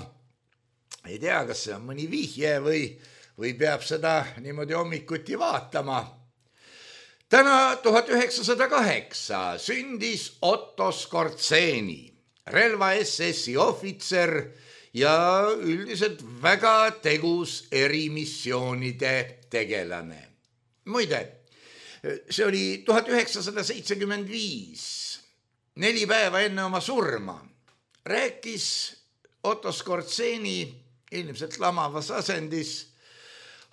Ei tea, kas see on mõni vihje või peab seda niimoodi hommikuti vaatama. Täna 1908 sündis Otto Skorzeny, relva SS-i ohvitser ja üldiselt väga tegus erimissioonide tegelane. Muide, see oli 1975, 4 päeva enne oma surma, rääkis Otto Skorzeny ilmselt lamavas asendis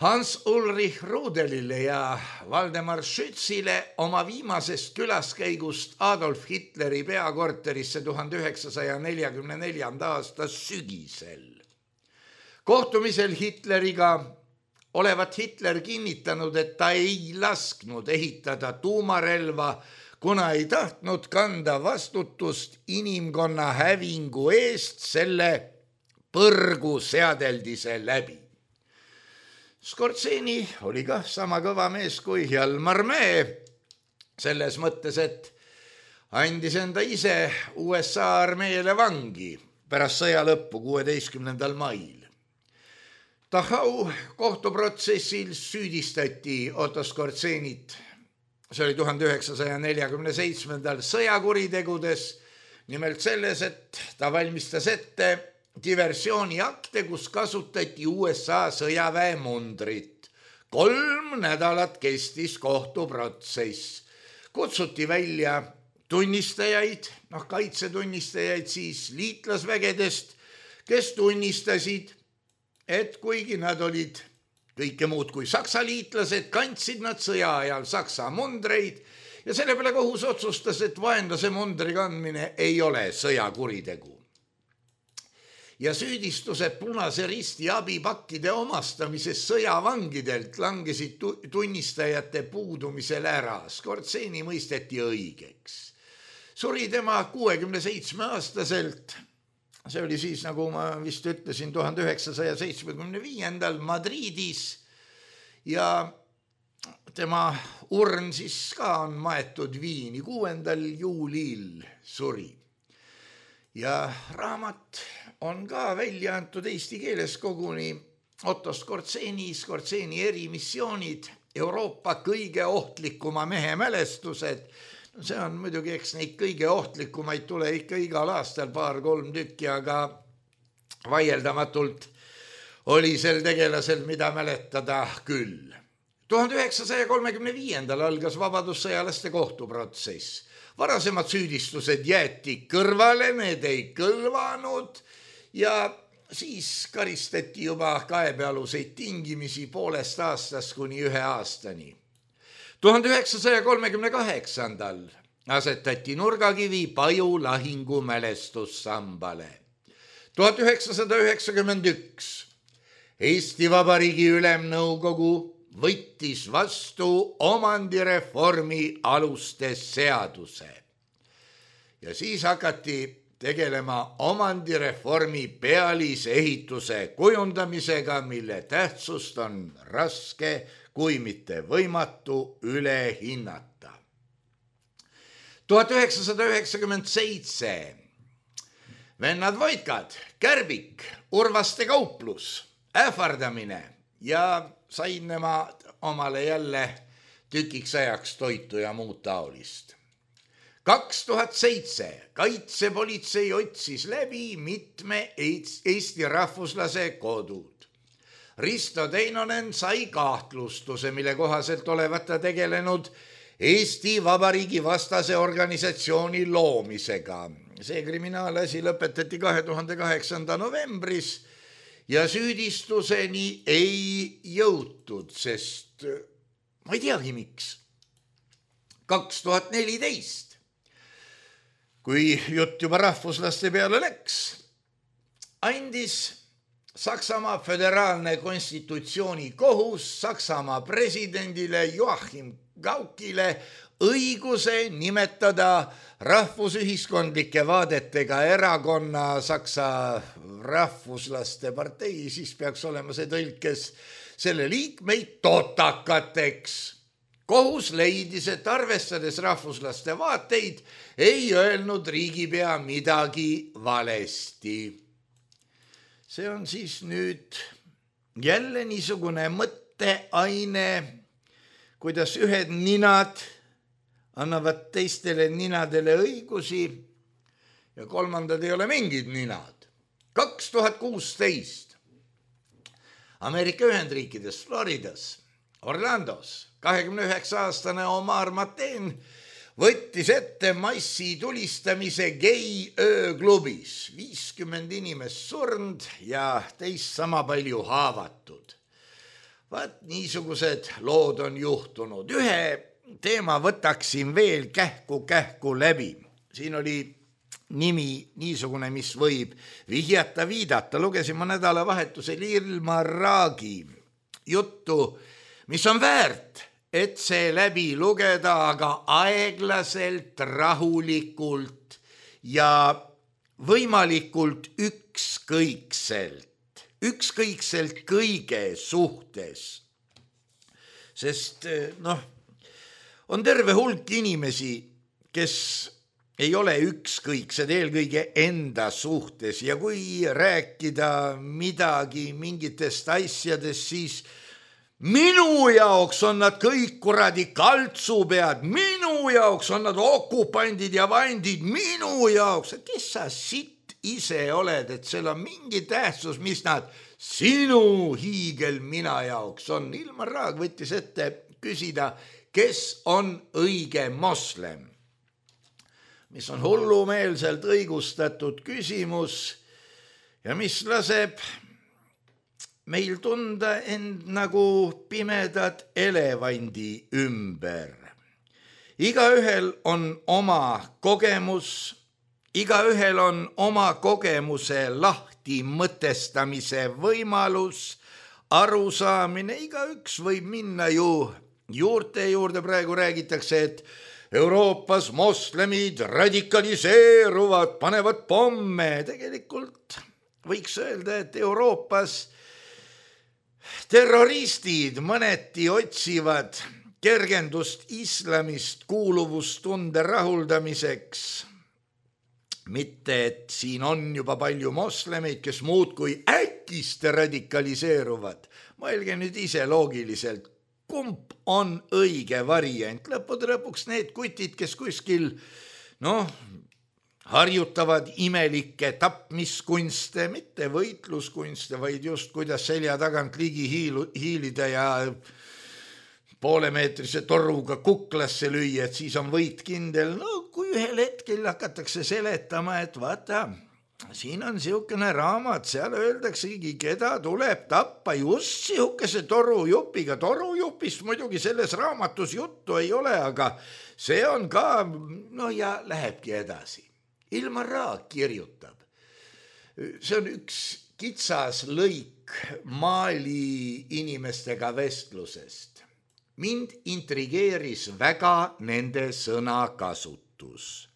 Hans-Ulrich Rudelile ja Valdemar Schützile oma viimasest külaskäigust Adolf Hitleri peakorterisse 1944. aasta sügisel. Kohtumisel Hitleriga olevat Hitler kinnitanud, et ta ei lasknud ehitada tuumarelva, kuna ei tahtnud kanda vastutust inimkonna hävingu eest selle põrgu seadeldise läbi. Skorzeny oli kah sama kõva mees kui Hjalmar Mäe, selles mõttes, et andis enda ise USA armeele vangi pärast sõja lõppu 16. mail. Dachau kohtuprotsessil süüdistati Otto Skorzenyt, see oli 1947. sõjakuritegudes, nimelt selles, et ta valmistas ette diversiooniakte, kus kasutati USA sõjaväe mundrit. 3 nädalat kestis kohtuprotsess. Kutsuti välja tunnistajaid, kaitsetunnistajaid siis liitlasvägedest, kes tunnistasid, et kuigi nad olid kõike muud kui saksa liitlased, kandsid nad sõja ajal saksa mundreid ja selle peale kohus otsustas, et vaenlase mundri kandmine ei ole sõjakuritegu. Ja süüdistused Punase Risti abipakkide omastamises sõjavangidelt langesid tunnistajate puudumisel ära. Skorzeny mõisteti õigeks. Suri tema 67-aastaselt, see oli siis, nagu ma vist ütlesin, 1975. Madridis ja tema urn siis ka on maetud Viini, 6. juulil suri. Ja raamat on ka välja antud eesti keeles koguni Otto Skorzeny, Skorzeny erimissioonid, Euroopa kõige ohtlikuma mehe mälestused. See on muidugi, eks neid kõige ohtlikumaid tule ikka igal aastal 2-3 tükki, aga vaieldamatult oli sel tegelasel, mida mäletada küll. 1935. algas vabadussõjalaste kohtuprotsess. Varasemad süüdistused jäeti kõrvale, need ei kõlvanud ja siis karistati juba kaebealuseid tingimisi 1,5 aastast kuni 1 aastani. 1938. asetati nurgakivi Paju lahingu mälestussambale. 1991 Eesti Vabariigi Ülemnõukogu võttis vastu omandireformi aluste seaduse ja siis hakati tegelema omandireformi pealisehituse kujundamisega, mille tähtsust on raske, kui mitte võimatu üle hinnata. 1997 vennad Voitkad, Kärbik, Urvaste kauplus, ähvardamine ja sain nemad omale jälle tükiks ajaks toitu ja muud taolist. 2007 kaitsepolitsei otsis läbi mitme Eesti rahvuslase kodud. Risto Teinonen sai kahtlustuse, mille kohaselt olevat ta tegelenud Eesti Vabariigi vastase organisatsiooni loomisega. See kriminaalasi lõpetati 2008. novembris ja süüdistuseni ei jõutud, sest ma ei teagi miks. 2014, kui jutt juba rahvuslaste peale läks, andis Saksamaa föderaalne konstitutsioonikohus Saksamaa presidendile Joachim Gaukile õiguse nimetada rahvusühiskondlike vaadetega erakonna Saksa rahvuslaste partei, siis peaks olema see tõlkes selle liikmeid totakateks. Kohus leidis, et arvestades rahvuslaste vaateid, ei öelnud riigipea midagi valesti. See on siis nüüd jälle niisugune mõtteaine, kuidas ühed ninad annavad teistele ninadele õigusi ja kolmandad ei ole mingid ninad. 2016 Ameerika Ühendriikides, Floridas, Orlandos 29-aastane Omar Mateen võttis ette massi tulistamise gei-ööklubis. 50 inimest surnud ja teist sama palju haavatud. Vaat niisugused lood on juhtunud. Ühe teema võtaksin veel kähku läbi. Siin oli nimi niisugune, mis võib vihjata, viidata. Lugesin ma nädalavahetusel Ilmar Raagi juttu, mis on väärt, et see läbi lugeda, aga aeglaselt, rahulikult ja võimalikult ükskõikselt kõige suhtes. Sest on terve hulk inimesi, kes ei ole ükskõiksed eelkõige enda suhtes ja kui rääkida midagi mingitest asjadest, siis minu jaoks on nad kõik kuradi kaltsupead, minu jaoks on nad okupandid ja vandid, minu jaoks. Kes sa sitt ise oled, et seal on mingi tähtsus, mis nad sinu hiigelmina jaoks on? Ilmar Raag võttis ette küsida, kes on õige moslem, mis on hullumeelselt õigustatud küsimus ja mis laseb meil tunda end nagu pimedat elevandi ümber. Igaühel on oma kogemus, igaühel on oma kogemuse lahti mõtestamise võimalus, arusaamine, igaüks võib minna ju juurte juurde. Praegu räägitakse, et Euroopas moslemid radikaliseeruvad, panevad pomme. Tegelikult võiks öelda, et Euroopas terroristid mõneti otsivad kergendust islamist kuuluvustunde rahuldamiseks. Mitte, et siin on juba palju moslemeid, kes muud kui äkiste radikaliseeruvad. Mõelge nüüd ise loogiliselt, kumb on õige variant. Lõppude lõpuks need kutid, kes kuskil harjutavad imelikke tapmiskunste, mitte võitluskunste, vaid just kuidas selja tagant ligi hiilida ja poolemeetrise toruga kuklasse lüüa, et siis on võit kindel. Kui ühel hetkel hakatakse seletama, et vaata, siin on siukene raamat, seal öeldaksegi, keda tuleb tappa just siukese torujupiga. Torujupist muidugi selles raamatus juttu ei ole, aga see on ka, ja lähebki edasi. Ilmar Raag kirjutab. see on üks kitsas lõik Mali inimestega vestlusest. Mind intrigeeris väga nende sõnakasutus.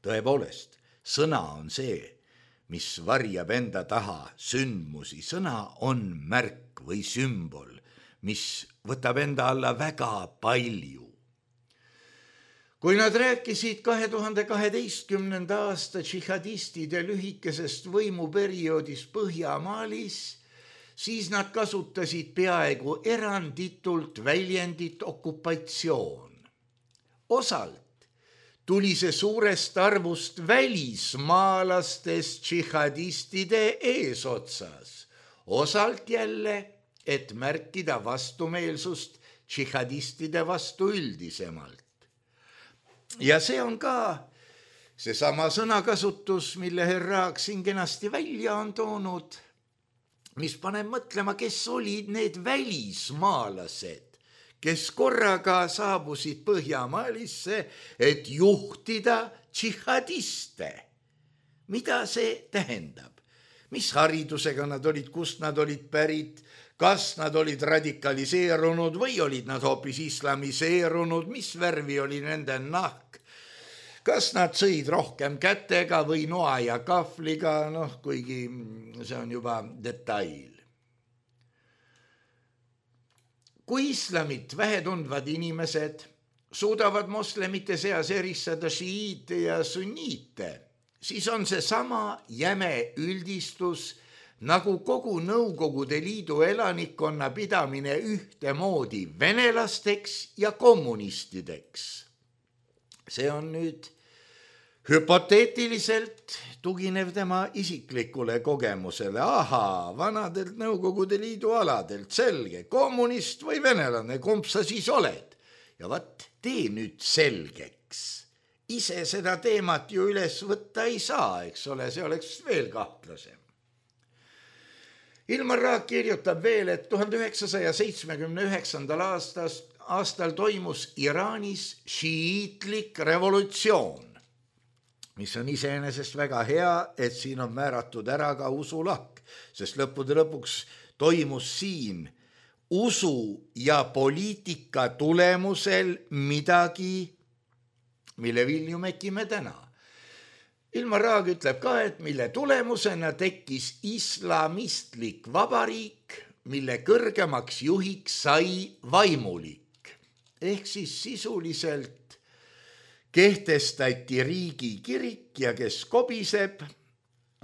Tõepoolest, sõna on see, mis varjab enda taha sündmusi. Sõna on märk või sümbol, mis võtab enda alla väga palju. Kui nad rääkisid 2012. aasta džihadistide lühikesest võimuperioodis Põhja-Malis, siis nad kasutasid peaaegu eranditult väljendit okupatsioon. Osalt tuli see suurest arvust välismaalastest džihadistide eesotsas, osalt jälle, et märkida vastumeelsust džihadistide vastu üldisemalt. Ja see on ka seesama sõnakasutus, mille Herraak siin kenasti välja on toonud, mis paneb mõtlema, kes olid need välismaalased, kes korraga saabusid Põhja-Malisse, et juhtida džihadiste. Mida see tähendab? Mis haridusega nad olid, kust nad olid pärit, kas nad olid radikaliseerunud või olid nad hoopis islamiseerunud, mis värvi oli nende nahk, kas nad sõid rohkem kätega või noa ja kahvliga, kuigi see on juba detail. Kui islamit vähetundvad inimesed suudavad moslemite seas eristada šiiite ja sunniite, siis on see sama jäme üldistus, nagu kogu Nõukogude Liidu elanikkonna pidamine ühtemoodi venelasteks ja kommunistideks. See on nüüd hüpoteetiliselt tuginev tema isiklikule kogemusele. Vanadelt Nõukogude Liidu aladelt, selge, kommunist või venelane, kumb sa siis oled? Ja tee nüüd selgeks. Ise seda teemat ju üles võtta ei saa, eks ole, see oleks veel kahtlasem. Ilmar Raag kirjutab veel, et 1979. aastal toimus Iraanis šiiitlik revolutsioon, mis on iseenesest väga hea, et siin on määratud ära ka usulahk, sest lõppude lõpuks toimus siin usu ja poliitika tulemusel midagi, mille vilju mekime täna. Ilmar Raag ütleb ka, et mille tulemusena tekkis islamistlik vabariik, mille kõrgemaks juhiks sai vaimulik. Ehk siis sisuliselt kehtestati riigi kirik ja kes kobiseb,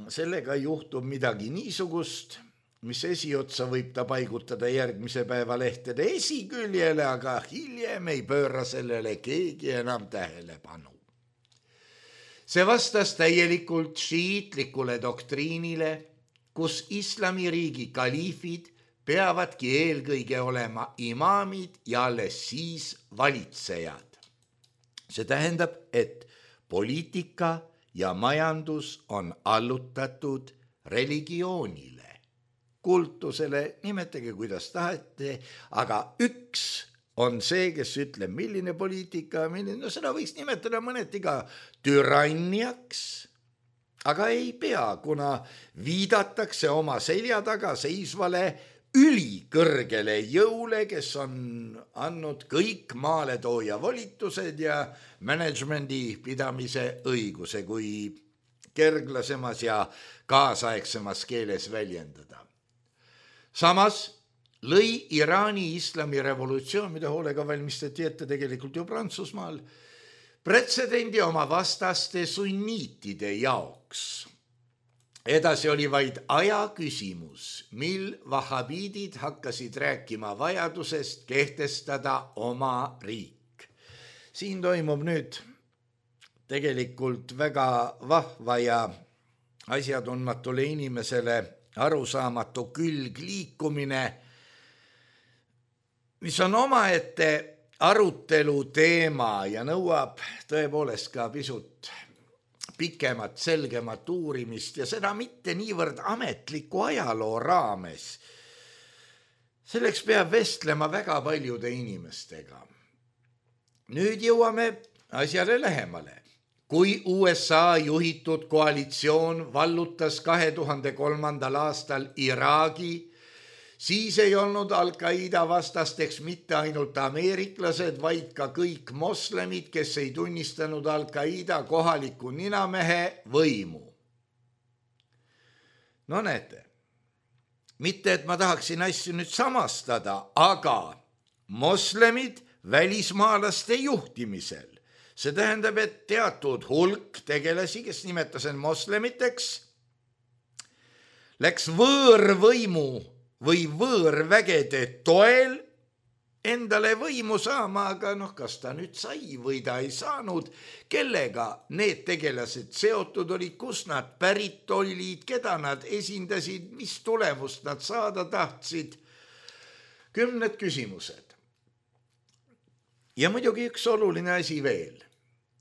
sellega juhtub midagi niisugust, mis esiotsa võib ta paigutada järgmise päeva lehtede esiküljele, aga hiljem ei pööra sellele keegi enam tähelepanu. See vastas täielikult šiitlikule doktriinile, kus islamiriigi kaliifid peavadki eelkõige olema imaamid ja alles siis valitsejad. See tähendab, et poliitika ja majandus on allutatud religioonile, kultusele, nimetage kuidas tahate, aga üks on see, kes ütleb, milline poliitika, seda võiks nimetada mõneti ka türanniaks, aga ei pea, kuna viidatakse oma selja taga seisvale ülikõrgele jõule, kes on andnud kõik maaletooja volitused ja managemendi pidamise õiguse, kui kerglasemas ja kaasaegsemas keeles väljendada. Samas lõi Iraani islamirevolutsioon, mida hoolega valmistati ette tegelikult ju Prantsusmaal, pretsedendi oma vastaste sunniitide jaoks. Edasi oli vaid aja küsimus, mil vahabiidid hakkasid rääkima vajadusest kehtestada oma riik. Siin toimub nüüd tegelikult väga vahva ja asjatundmatule inimesele arusaamatu külgliikumine, mis on omaette arutelu teema ja nõuab tõepoolest ka pisut pikemat, selgemat uurimist ja seda mitte niivõrd ametliku ajaloo raames. Selleks peab vestlema väga paljude inimestega. Nüüd jõuame asjale lähemale. kui USA juhitud koalitsioon vallutas 2003. aastal Iraagi, siis ei olnud Al-Qaeda vastasteks mitte ainult ameeriklased, vaid ka kõik moslemid, kes ei tunnistanud Al-Qaeda kohaliku ninamehe võimu. No näete, mitte et ma tahaksin asju nüüd samastada, aga moslemid välismaalaste juhtimisel. See tähendab, et teatud hulk tegelasi, kes nimetasid end moslemiteks, läks võõrvõimu või võõrvägede toel endale võimu saama, aga kas ta nüüd sai või ta ei saanud, kellega need tegelased seotud olid, kust nad pärit olid, keda nad esindasid, mis tulemust nad saada tahtsid. Kümned küsimused. Ja muidugi üks oluline asi veel.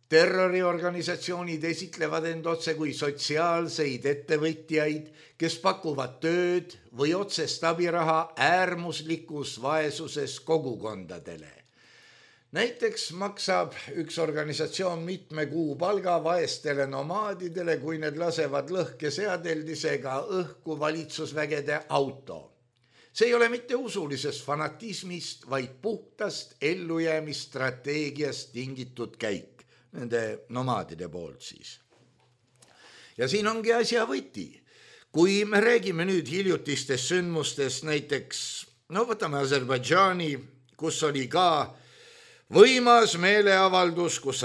Terroriorganisatsioonid esitlevad end otse kui sotsiaalseid ettevõtjaid, kes pakuvad tööd või otsest abiraha äärmuslikus vaesuses kogukondadele. Näiteks maksab üks organisatsioon mitme kuu palga vaestele nomaadidele, kui need lasevad lõhkeseadeldisega õhku valitsusvägede auto. See ei ole mitte usulisest fanatismist, vaid puhtast ellujäämisstrateegiast tingitud käik. Nende nomaadide poolt siis. Ja siin ongi asja võti. Kui me räägime nüüd hiljutistest sündmustest, näiteks, võtame Aserbaidžaani, kus oli ka võimas meeleavaldus, kus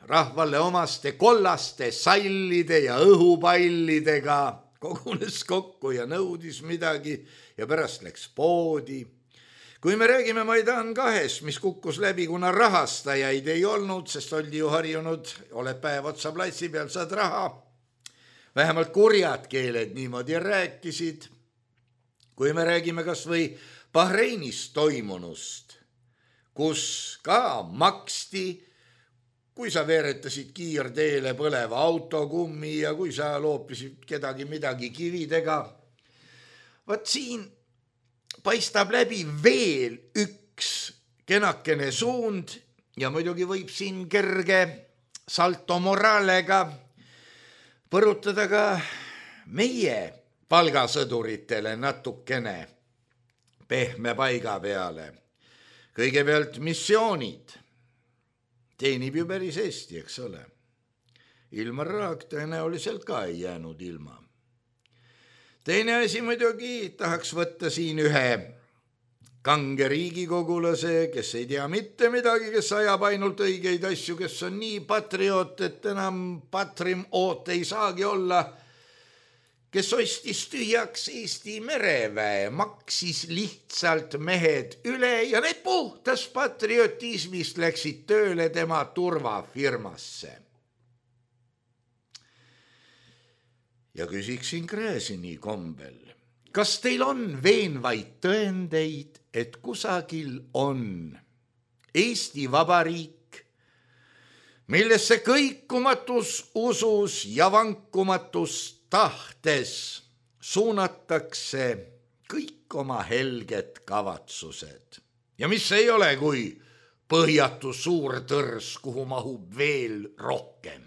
rahvale omaste kollaste sallide ja õhupallidega kogunes kokku ja nõudis midagi ja pärast läks poodi. Kui me räägime Maidan 2, mis kukkus läbi, kuna rahastajaid ei olnud, sest oldi ju harjunud, oled päev otsa platsi peal, saad raha. Vähemalt kurjad keeled niimoodi rääkisid. Kui me räägime kas või Bahreinis toimunust, kus ka maksti, kui sa veeretasid kiirteele põleva autokummi ja kui sa loopisid kedagi midagi kividega. Vaat siin paistab läbi veel üks kenakene suund ja muidugi võib siin kerge salto moraalega põrutada ka meie palgasõduritele natukene pehme paiga peale. Kõigepealt missioonid teenib ju päris Eesti, eks ole. Ilmar Raag tõenäoliselt ka ei jäänud ilma. Teine asi muidugi tahaks võtta siin ühe kange riigikogulase, kes ei tea mitte midagi, kes ajab ainult õigeid asju, kes on nii patrioot, et enam patrioot ei saagi olla, kes ostis tühjaks Eesti mereväe, maksis lihtsalt mehed üle ja need puhtas patriotismist läksid tööle tema turvafirmasse. Ja küsiksin Gräzini kombel, kas teil on veenvaid tõendeid, et kusagil on Eesti Vabariik, millesse kõikumatus usus ja vankumatus tahtes suunatakse kõik oma helged kavatsused ja mis ei ole kui põhjatu suur tõrs, kuhu mahub veel rohkem.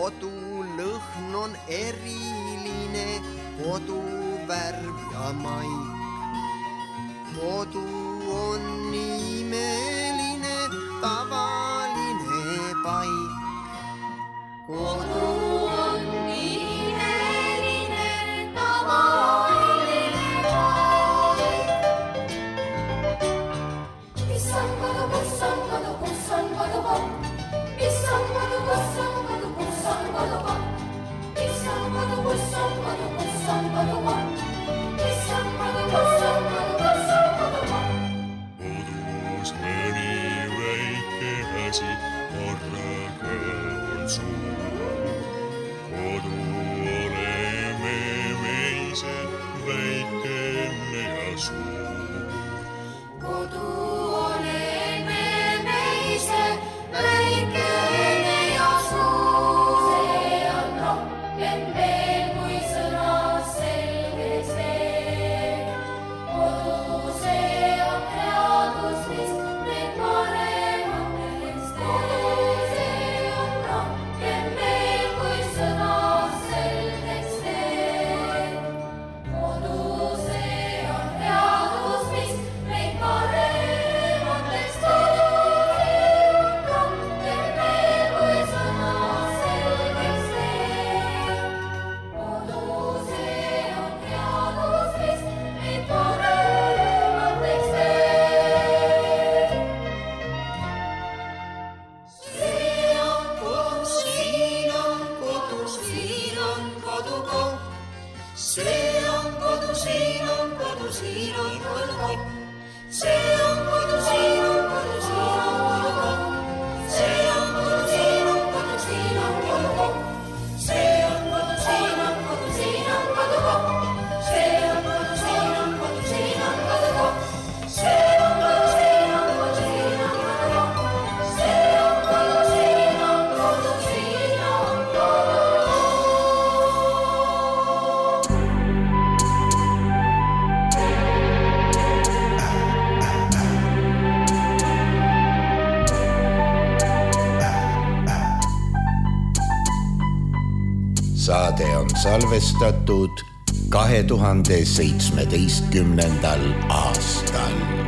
Kodulõhn on eriline, koduvärv ja maik. Kodu on imeline, tavaline paik. Kodu on siin on kodu, siin on kodukoht. See on kodu, siin on kodu, siin on kodukoht. See on kodu, siin on kodu, siin on kodukoht. See on kodu, siin on kodu, siin on kodukoht. See on kodu, siin on kodu, siin on kodukoht. See on kodu, siin on kodu, siin on kodukoht. See on kodu, siin on kodu, siin on saade on salvestatud 2017. aastal.